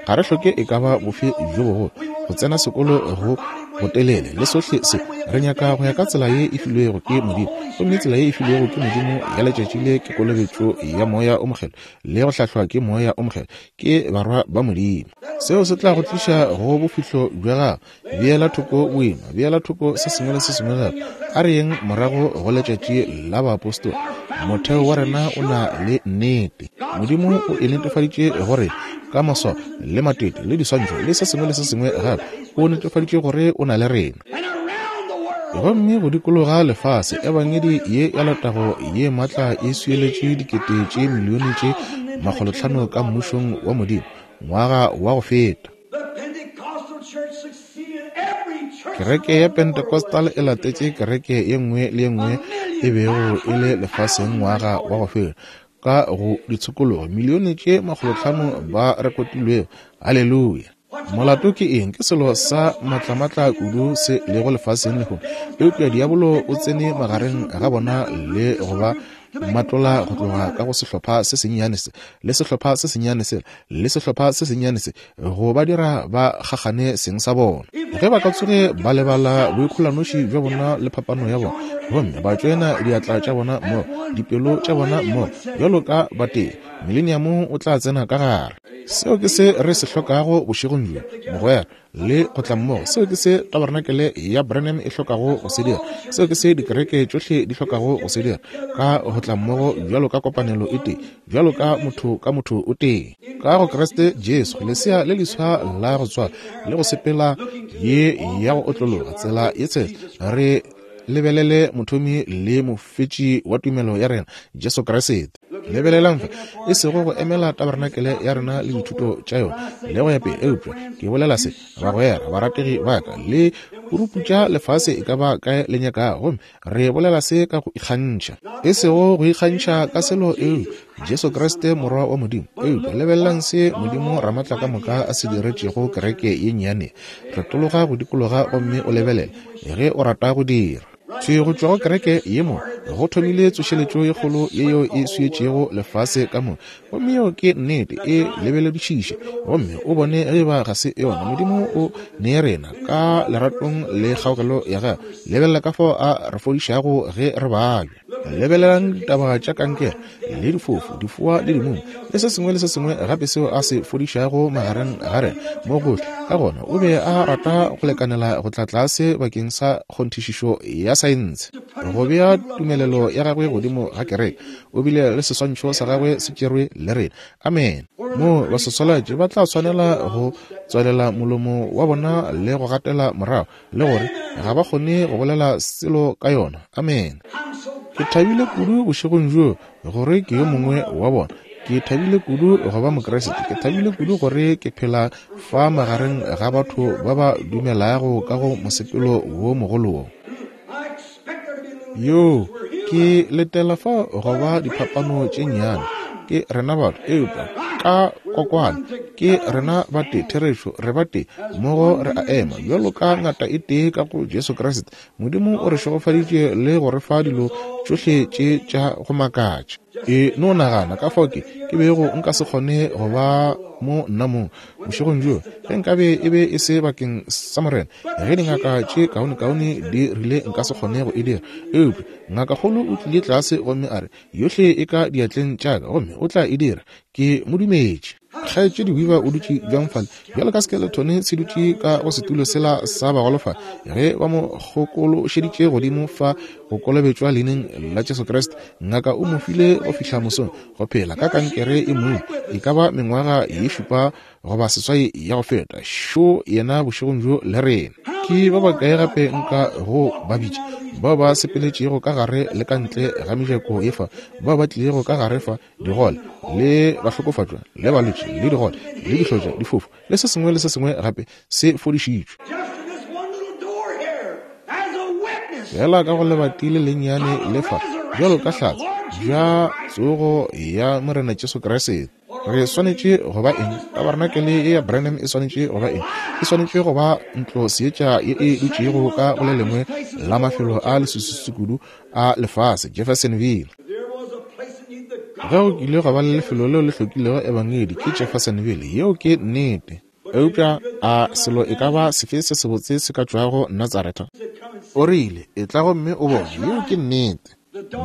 ga re hloke e ka ba bofe bjo bogolo, go tsena sekolo go botelele le sohle se. Re nyaka go ya ka tsela ye e filwego ke Modimo. Gomme tsela ye e filwego ke Modimo ya letšatši le ke kolobetšo ya Moya o Mokgethwa le go hlahlwa ke Moya o Mokgethwa, ke barwa ba Modimo. Seo se tla go tliša go bofihlo bja gago. Beela thoko boima, beela thoko se sengwe le se sengwe gape. A re yeng morago go letšatši la baapostola. Motheo wa rena o na le nnete. Modimo o e netefaditše gore ka maswao le matete le diswantšho le se sengwe le se sengwe gape, o netefaditše gore o na le rena. Gomme go dikologa lefase, Ebangedi ye ya letago ye maatla e swieletše dikete tše milione tše makgolotlhano ka Mmušong wa Modimo ngwaga wa go feta. Kereke ya Pentecostal e latetše kereke ye nngwe le ye nngwe e bego e le lefaseng ngwaga wa go feta ka go ditshokologo milione tše makgolotlhano ba rekotilwego. Haleluya! Molato ke eng? Ke selo sa matlamatla kudu se lego lefaseng lehono. Eupša diabolo o tsene magareng ga bona le go ba Mmatlola go tloga ka go sehlopha se sennyane se, le sehlopha se sennyane sela, le sehlopha se sennyane se, go ba dira ba kgakgane seng sa bona. Ge ba ka tsoge ba lebala boikgolanoši bja bona le phapano ya bona, gomme ba tšoena diatla tša bona mmogo, dipelo tša bona mmogo, bjalo ka batee, Mileniamo o tla tsena ka gare. Seo ke se re se hlokago bošegong bjo, mogwera, le go tla mmogo. Seo ke se Tabarenakele ya Branham e hlokago go se dira. Seo ke se dikereke tšohle di hlokago go se dira, ka go tla mmogo bjalo ka kopanelo e tee, bjalo ka motho ka motho o tee. Ka go Kriste Jesu, lesea le leswa la go tswalwa le go sepela ye ya go otlologa tsela ye tshese, re lebelele mothomi le mofetši wa tumelo ya rena, Jesu Kriste. Lebelelang fa, e sego go emela tabarenakele ya rena le dithuto tša yona le go ya pele, eupša ke bolela se, bagwera, barategi ba ka, le puruputša lefase e ka ba kae le nyakago, gomme re bolela se ka go ikgantšha, e sego go ikgantšha ka selo, eupša Jesu Kriste Morwa wa Modimo. Eupša lebelelang se Modimo Ramatlakamoka a se diretšego kereke ye nnyane. Retologa go dikologa gomme o lebelele, ge o rata go dira. Thwi go tšwa go kereke ye mo go thomile tsošeletšo ye kgolo ye yeo e swietšego lefase ka moka. Gomme yeo ke nnete, e lebeledišiše gomme o bone ge eba ga se yona. Modimo o ne rena ka leratong le kgaogelo ya gagwe. Lebelela ka fao a re fodišago ge re babja. Lebelelang ditaba tša kankere le difofu, difoa le dimumu, le se sengwe le se sengwe gape seo a se fodišago magareng ga rena mo gohle. Ka gona o be a rata go lekanela go tla tlase bakeng sa kgonthišišo ya saense, go bea tumelelo ya gagwe godimo ga kereke. O bile le seswantšho sa gagwe se tšerwe le rena. Amene. Moo baswaswalatši ba tla swanela go tswalela molomo wa bona le go gatela morago, le gore ga ba kgone go bolela selo ka yona. Amene. Ke thabile kudu bošegong bjo gore ke yo mongwe wa bona. Ke thabile kudu go ba Mokriste. Ke thabile kudu gore ke phela fa magareng ga batho ba ba dumelago ka go mosepelo wo mogolo wo. Yo, ke letela fa go ba diphapano tše nnyane. Ke rena batho, eupša ka kokwane ke rena batee, therešo, re batee, mmogo re a ema bjalo ka ngata e tee ka go Jesu Kriste. Modimo o re šegofaditše le go re fa dilo tšohle tše tša go makatša. E no nagana ka fao ke, ke bego nka se kgone go ba mo nna mong bošegong bjo ge nkabe e be e se bakeng sa Morena. Ge dingaka tše kaonekaone di rile nka se kgone go e dira, eupša ngakakgolo o tlile tlase gomme a re, Yohle e ka diatleng tša ka, gomme o tla e dira. Ke mo dumetše. Kgaetšedi Weaver o dutše bjang fale, bjalo ka skeletone se dutše ka go setulo sela sa bagolofadi, ge ba mo kgokološeditše godimo fa go kolobetšwa leineng la Jesu Kriste. Ngaka o mo file go fihla mosong, go phela ka kankere e mong, e ka ba mengwaga ye šupa goba seswai ya go feta. Šo yena bošegong bjo le rena. Ke ba bakae gape nka go ba bitša, bao ba sepeletšego ka gare le ka ntle ga mejako ye fa, bao ba tlilego ka gare fa, digole le bahlokofatšwa le balwetši le digole le dihlotša, difofu le se sengwe le se sengwe gape se fodišitšwe. Fela ka go lebati le lennyane le fa, bjalo ka hlatse bja tsogo ya Morena Jesu Kriste. Re swanetše go ba eng? Tabarenakele ye ya Branham e swanetše go ba eng? E swanetše go ba ntlo seetša ye e dutšego ka go le lengwe la mafelo a leswiswi kudu a lefase, Jeffersonville. Ge go kile gwa ba le lefelo leo le hlokilego ebangedi, ke Jeffersonville. Yeo ke nnete. Eupša a selo e ka ba sefe se sebotse se ka tšwago Natsaretha? O rile, Etla gomme o bone. Yeo ke nnete.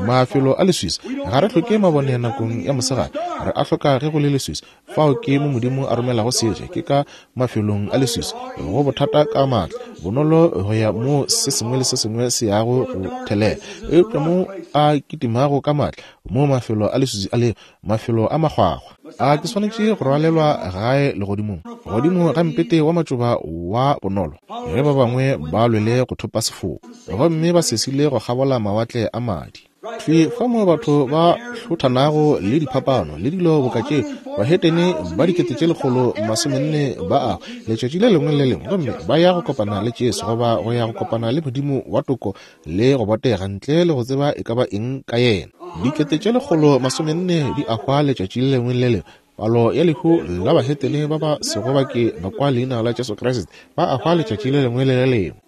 Mafelo a leswiswi. Ga re hloke mabone nakong ya mosegare. Re a hloka ge go le leswiswi. Fao ke mo Modimo a romelago seetša, ke ka mafelong a leswiswi. Go bothata ka maatla, bonolo go ya moo se sengwe le se sengwe se yago go thelela. Eupša mo a kitimago ka maatla, moo mafelo a leswiswi a lego, mafelo a makgwakgwa. A ke swanetše go rwalelwa gae legodimong, godimo ga mpete wa matšoba wa bonolo, ge ba bangwe ba lwele go thopa sefoka, gomme ba sesile go kgabola mawatle a madi. Thwi fa moo batho ba hlothanago le diphapano le dilo boka tše, bahetene ba 1400 ba a letšatši le lengwe le lengwe, gomme ba ya go kopana le Jesu, goba go ya go kopana le Modimo wa toko le go botega, ntle le go tseba e ka ba eng ka yena. 1400 di a hwa letšatši le lengwe le lengwe. Palo ya lehu la bahetene ba ba sego ba ke ba kwa leina la Jesu Kriste ba a hwa letšatši le lengwe le le lengwe.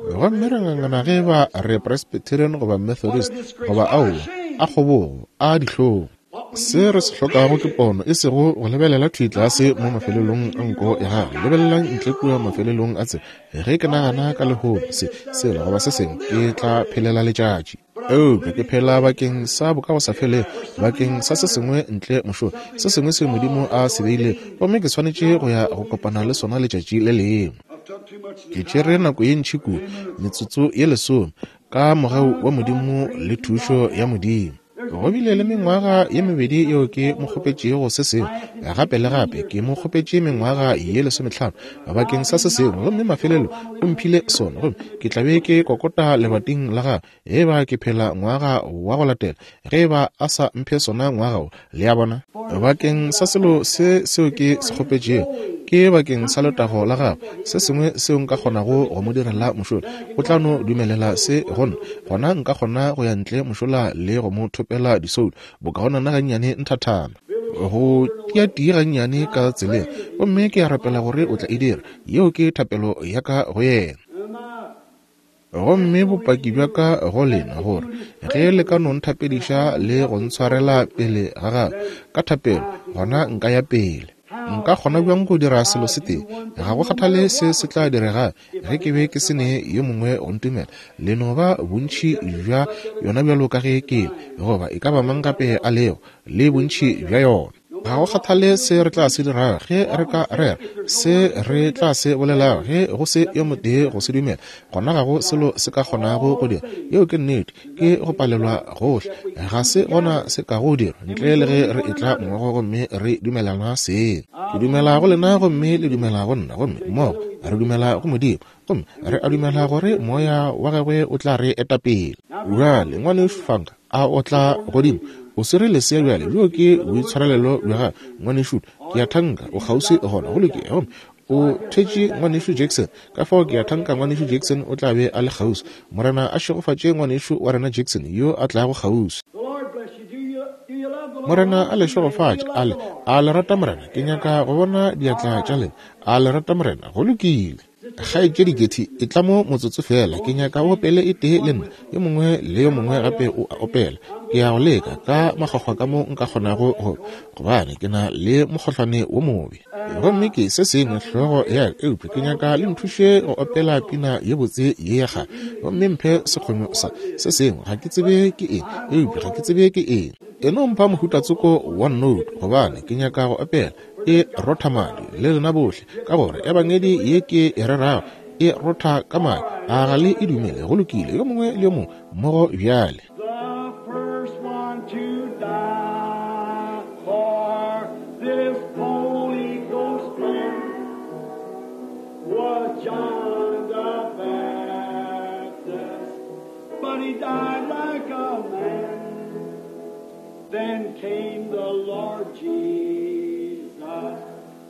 Gomme re ngangana ge ba re Presbyterian goba Methodist goba aowa. A kgobogo, a dihlong. Se re se hlokago ke pono, e sego go lebelela thwi tlase mo mafelelong a nko ya gago. Lebelelang ntle kua mafelelong a tsela. Ge ke nagana ka lehono, se, sela, goba se sengwe, ke tla phelela letšatši. Eupša ke phela bakeng sa bokagosafelego, bakeng sa se sengwe ntle mošola, se sengwe seo Modimo a se beilego, gomme ke swanetše go ya go kopana le sona letšatši le lengwe. Ke tšere nako ye ntši kudu, metsotso ye lesome, ka mogau wa Modimo le thušo ya Modimo. Go bile le mengwaga ye mebedi yeo ke mo kgopetšego se sengwe, gape le gape ke mo kgopetše mengwaga ye lesometlhano bakeng sa se sengwe, gomme mafelelo o mphile sona, gomme ke tla be ke kokota lebating la gagwe ge eba ke phela ngwaga wa go latela, ge eba a sa mphe sona ngwaga wo. Le a bona? Bakeng sa selo se seo ke se kgopetšego, ke bakeng sa letago la gagwe, se sengwe seo nka kgonago go mo direla mošola, o tla no dumelela se go nna, gona nka kgona go ya ntle mošola le go mo thopela disoulo, bokaonana gannyane nthathana, go tia-tii gannyane ka tseleng, gomme ke a rapela gore o tla e dira. Yeo ke thapelo ya ka go yena. Gomme bopaki bja ka go lena, gore ge le ka no nthapediša le go ntshwarela pele ga gagwe ka thapelo, gona nka ya pele. Nka kgona bjang go dira selo se tee? Ga go kgathale se se tla direga ge ke be ke se ne yo mongwe go ntumela. Le no ba bontši bja yona bjalo ka ge ke le, goba e ka ba mang gape a lego, le bontši bja yona. Ga go kgathale se re tla se dirago, ge re ka rera, se re tla se bolelago, ge go se yo motee go se dumela, gona ga go selo se ka kgonago go dira. Yeo ke nnete. Ke go palelwa gohle. Ga se gona se ka go dira ntle le ge re etla mmogo gomme re dumelana seng. Ke dumela go lena gomme le dumela go nna, gomme mmogo re dumela go Modimo, gomme re a dumela gore Moya wa Gagwe o tla re eta pele. Bjale, Ngwanešu Funk, a o tla godimo? O swere lesea bjale, bjoo ke boitshwarelelo bja gago, Ngwanešu. Ke a thanka o kgauswi gona. Go lokile. Gomme o thetše Ngwanešu Jackson, ka fao ke a thanka Ngwanešu Jackson o tla be a le kgauswi. Morena a šegofatše Ngwanešu wa rena Jackson yo a tlago kgauswi. Morena a le šegofatše. A le, a le rata Morena? Ke nyaka go bona diatla tša lena. A le rata Morena? Go lokile. Kgaetšedi Gertie, etla mo motsotso feela. Ke nyaka o opele e tee le nna. Yo mongwe le yo mongwe gape o a opela. Ke ya go leka ka makgwakgwa ka mo nka kgonago go, gobane ke na le mokgohlwane wo mobe. Gomme ke se sengwe hlogo ya ka, eupša ke nyaka le nthuše go opela pina ye botse ye ya kgale. Gomme mphe sekgonyo sa se sengwe, ga ke tsebe ke eng, eupša ga ke tsebe ke eng. E no mpha mohuta tsoko wa note, gobane ke nyaka go opela. E rotha madi, le lena bohle, ka gore Ebangedi ye ke e rerago e rotha ka madi. A ga le e dumele? Go lokile, yo mongwe le yo mongwe mmogo bjale. The first one to die for this Holy Ghost plan was John the Baptist, but he died like a man. Then came the Lord Jesus,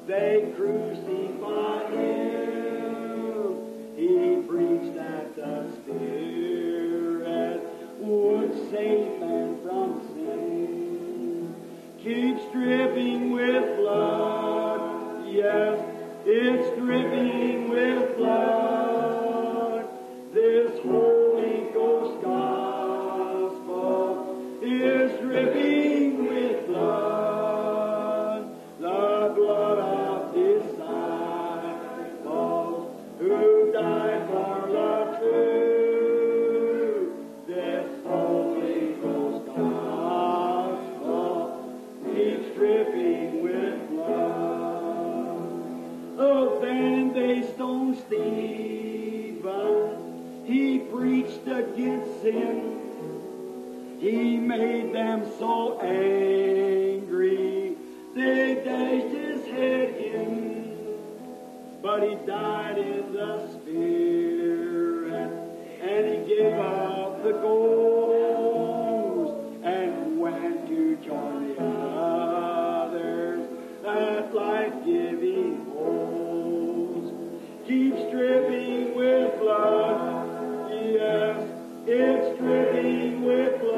they crucified him. He preached that the Spirit would save man from sin. Keeps dripping with blood, yes, it's dripping with blood. This Holy Ghost gospel is dripping with blood, the blood of disciples who died for the truth. This Holy Ghost gospel keeps dripping with blood. Oh, then they stoned Stephen. He preached against sin. He made them so angry, they dashed his head in. But he died in the Spirit, and he gave up the ghost, and went to join the others, that life-giving host. Keeps dripping with blood, yes, it's dripping with blood.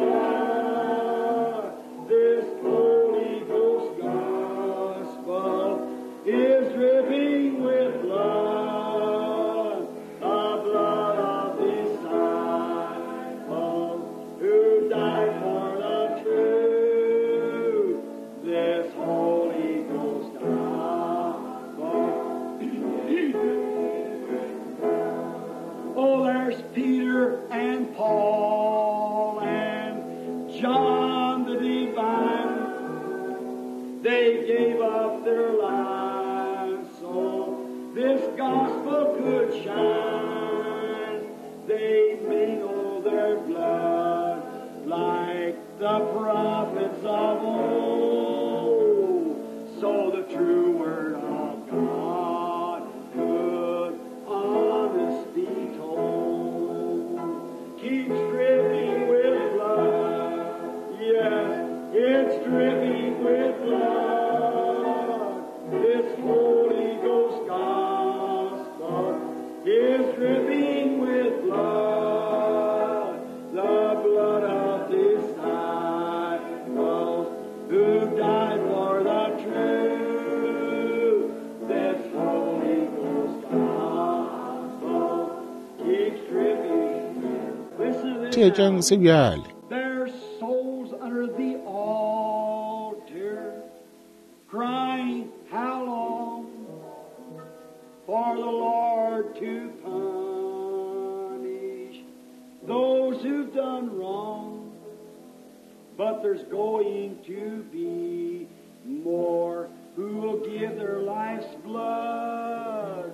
It's dripping with blood. This Holy Ghost gospel is dripping with blood. The blood of disciples who died for the truth. This Holy Ghost gospel keeps dripping. Listen to this. Theetšang se bjale. Their souls under the altar, crying, How long for the Lord to punish those who've done wrong? But there's going to be more who will give their life's blood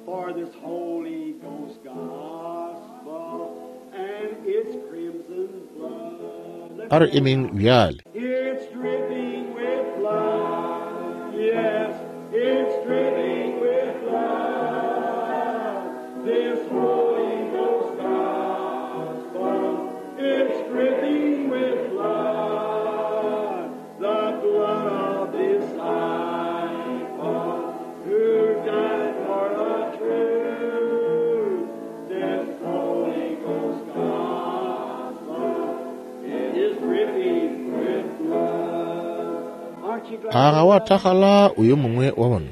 for this Holy Ghost gospel and its crimson flood. A re emeng bjale. It's dripping with blood. Yes, it's dripping with blood. This Holy Ghost gospel. It's dripping with blood. The blood of disciples who died for the truth. This Holy Ghost gospel is dripping with blood. Aren't you glad? A ga wa thakgala o yo mongwe wa bona?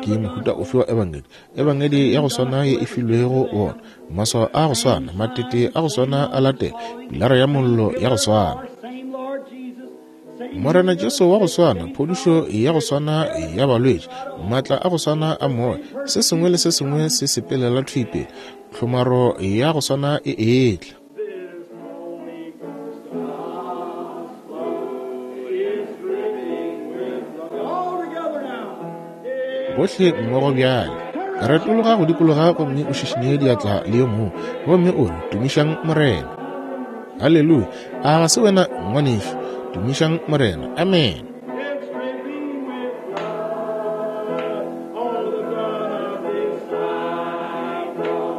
Ke mohuta ofe wa ebangedi? Ebangedi ya go swana ye e filwego bona, maswao a go swana, matete a go swana a latela, pilara ya mollo ya go swana. Same Lord Jesus, same Morena Jesu wa go swana, phodišo ya go swana ya balwetši, maatla a go swana a moya, se sengwe le se sengwe se sepelela thwi pele, tlhomaro ya go swana e etla. This Holy Ghost gospel is dripping with blood. All together now. Bohle mmogo bjale. Retologa go dikologa gomme o šišinye diatla le yo mongwe, gomme o re, Tumišang Morena. Haleluya. A ga se wena ngwanešu? Tumišang Morena. Amen. It's dripping with blood, all the blood of disciples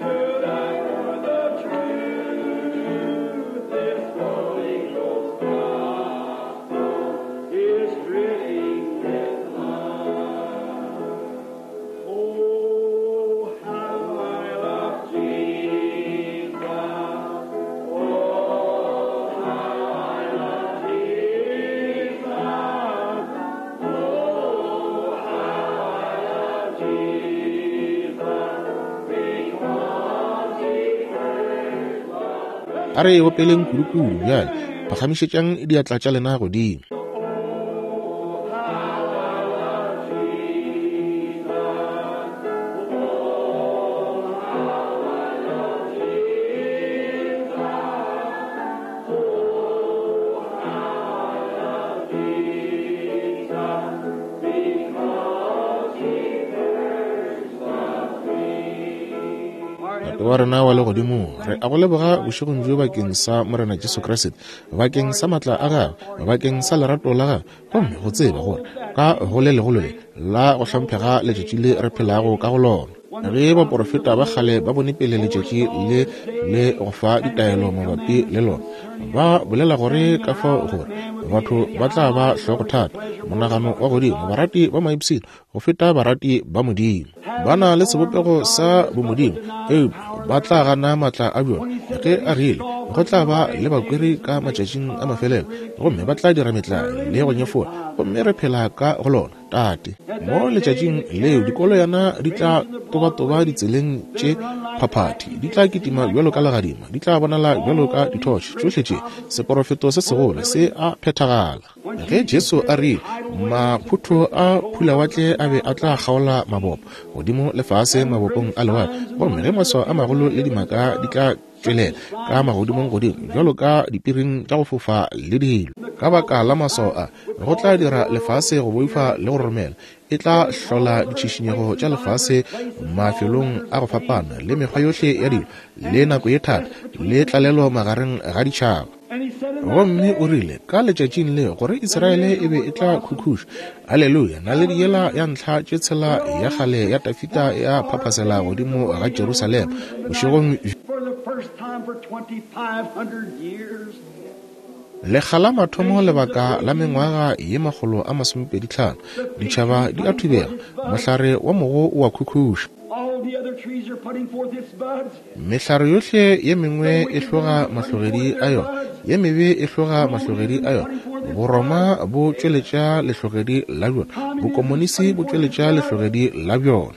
who died for the truth. This Holy Ghost gospel is dripping with blood. Oh, how I love Jesus. Oh, how I love Jesus. Oh, how I love Jesus. Because he first loved A re opeleng kudukudu bjale. Phagamišetšang diatla tša lena godimo. Oh, how I love Jesus. Oh, how I love Jesus. Oh, how I love Jesus. Because he first loved me. Tate wa rena wa legodimong, re a go leboga bošegong bjo bakeng sa Morena Jesu Kriste, bakeng sa maatla a gagwe, bakeng sa lerato la gagwe, gomme go tseba gore ka go le legolo le la go hlomphega letšatši le re phelago ka go lona. Ge baporofeta ba kgale ba bone pele letšatši le le go fa ditaelo mabapi le lona, ba bolela gore ka fao gore batho ba tla ba hlogothata, monagano wa godimo, barati ba maipshino go feta barati ba Modimo. Ba na le sebopego sa bomodimo, eupša ba tla gana maatla a bjona. Ge a rile go tla ba le bakweri ka matšatšing a mafelelo, gomme ba tla dira metlae le go nyefola, gomme re phela ka go lona. Tate, mo letšatšing leo dikoloyana di tla tobatoba ditseleng tše phaphathi, di tla kitima bjalo ka legadima, di tla bonala bjalo ka dithotšhe. Tšohle tše seporofeto se segolo se a phethagala. Ge Jesu a rile maphutho a phulawatle a be a tla kgaola mabopo godimo le fase mabopong a lewatle, gomme ge maswao a magolo le dimaka di tla tšwelela ka magodimong godimo bjalo ka dipiring tša go fofa le dilo, ka baka la maswao a go tla dira lefase go boifa le go roromela. E tla hlola ditšhišinyego tša lefase mafelong a go fapana le mekgwa yohle ya dilo le nako ye thata le tlalelo magareng ga ditšhaba. And he said in that Gomme o rile ka letšatšing le gore Israele e be e tla khukhuša. Haleluya. Naledi yela ya ntlha tše tshela ya kgale ya Dafida ya phaphasela godimo ga Jerusalema bošegong for the first time for 2,500 years. Lekga la mathomo lebaka la mengwaga ye 125, ditšhaba di a thubega, mohlare wa mogo o a khukhuša. Mehlare yohle ye mengwe e hloga mahlogedi a yona, ye mebe e hloga mahlogedi a yona. Boroma bo tšweletša lehlogedi la bjona, bokomonisi bo tšweletša lehlogedi la bjona.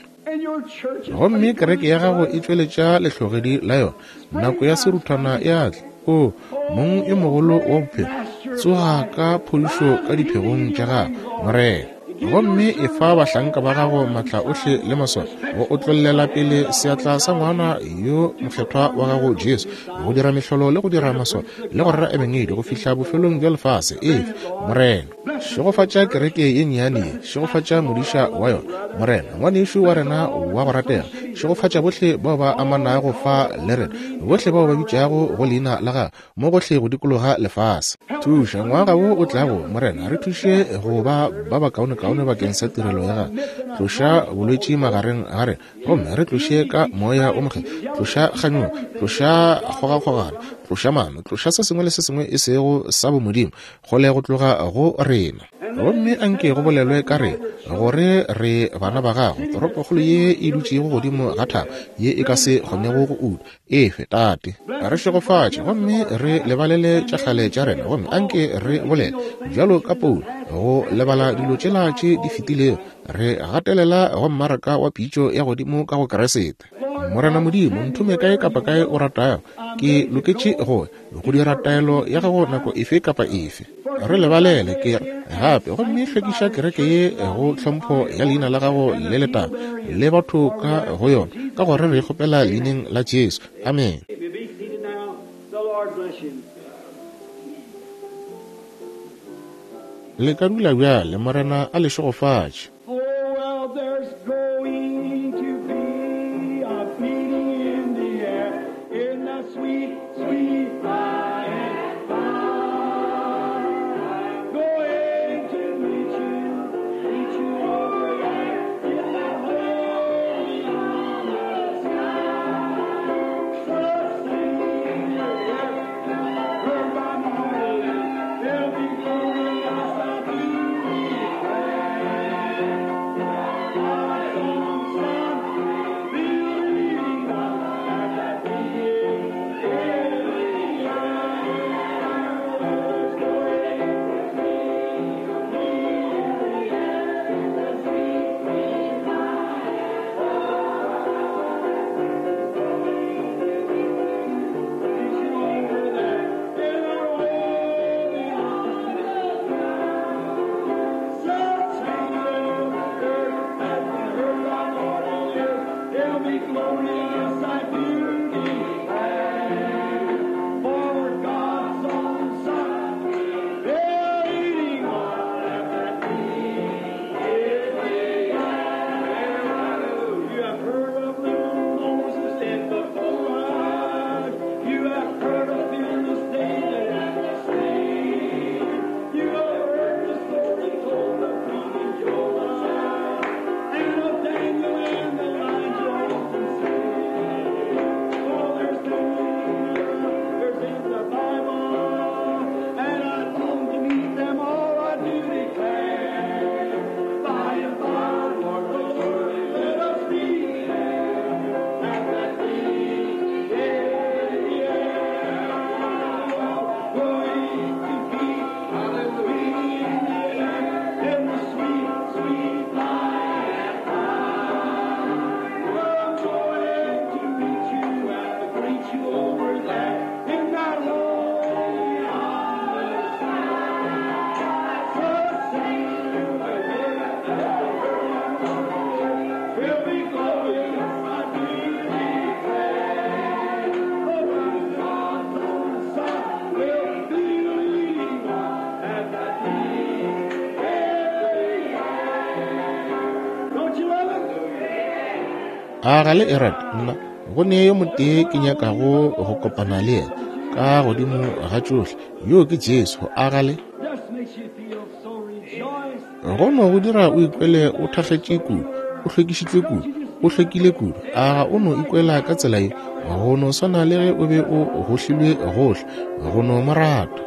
Gomme kereke ya gago e tšweletša lehlogedi la yona. Nako ya seruthwana e a tla. O, Mong yo mogolo wa bophelo, tsoga ka phodišo ka diphegong tša gago, Morena. Gomme efa bahlanka ba gago maatla ohle le maswao go otlollela pele seatla sa ngwana yo mokgethwa wa gago Jesu, go dira mehlolo le go dira maswao le go rera ebangedi go fihla bofelong bja lefase. Efe, Morena. Šegofatša kereke ye nnyane ye. Šegofatša modiša wa yona, Morena, ngwanešu wa rena wa go ratega. Šegofatša bohle bao ba amanago fa le rena, bohle bao ba bitšago go leina la gago mo gohle go dikologa lefase. Thuša ngwaga wo o tlago, Morena, re thuše go ba ba bakaonekaone bakeng sa tirelo ya gago. Tloša bolwetši magareng ga rena, gomme re tloše ka Moya o Mokgethwa. Tloša kganyogo, tloša kgogakgogano, tloša maano, tloša se sengwe le se sengwe e sego sa bomodimo kgole go tloga go rena. Gomme a nke go bolelwe ka rena gore re bana ba gago, toropokgolo ye e dutšego godimo ga thaba ye e ka se kgonego go utwa. Efe, Tate, re šegofatše gomme re lebalele tša kgale tša rena, gomme a nke re bolele bjalo ka Paulo, go lebala dilo tšela tše di fetilego, re gatelela go mmaraka wa pitšo ya godimo ka go Keresete. Morena Modimo, nthome kae kapa kae o ratago, ke loketše go go dira taelo ya gago nako efe kapa efe. Re lebalele, ke re gape, gomme hlwekiša kereke ye go tlhompho ya leina la gago le letago le batho ka go yona, ka gore re kgopela leineng la Jesu. Amen. Le ka dula bjale, Morena a le šegofatše. Oh, well, there's going to be a meeting in the air, in the sweet, sweet by and by. Going to meet you over there in that holy sky. So sing your heard by morning, there'll be glorious I do declare. A ga le e rate? Nna go ne yo motee ke nyakago go kopana le yena ka godimo ga tšohle, yoo ke Jesu. A ga le? Go no go dira o ikwele o thakgetše kudu, o hlwekišitšwe kudu, o hlwekile kudu. A ga o no ikwela ka tsela ye? Go no swana le ge o be o gohlilwe gohle, go no mo rata.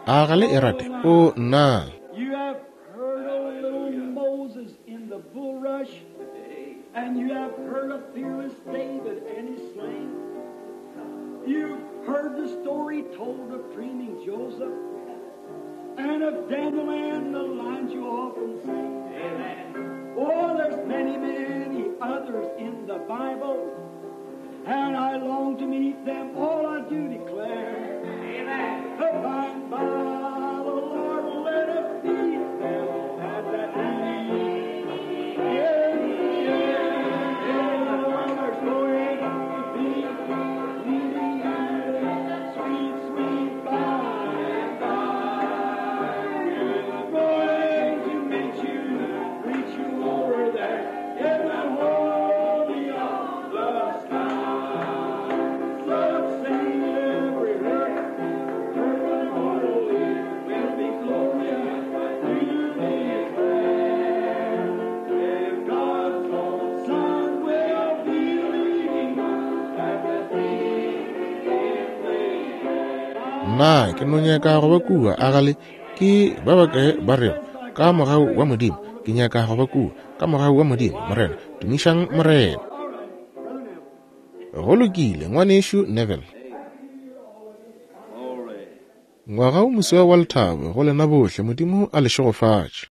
A ga le e rate? O, nna! You have heard of little Moses in the bulrush, and you have heard of fearless David and his slaying. You've heard the story told of dreaming Joseph, and of Daniel and the lines you often sing. Amen. Oh, there's many, many others in the Bible, and I long to meet them all, I do declare. Amen. By and by, the Lord will let us meet them at that meeting. Yeah, yeah, yeah. There's going to be meeting in the sweet, sweet by and by. We're going to meet you, reach you over there in the holy of the sky. So sing every hurt, hurt holy will be glorious to declare. If God's own Son will be leading us at the meeting in the air. Nna ke no nyaka go ba kua, a ga le? Ke ba bakae ba rego, Ka mogau wa Modimo, ke nyaka go ba kua. Ka mogau wa Modimo, Morena, tumišang Morena. Go lokile, Ngwanešu Neville. Ngwaga o moswa wa lethabo go lena bohle. Modimo a le šegofatše.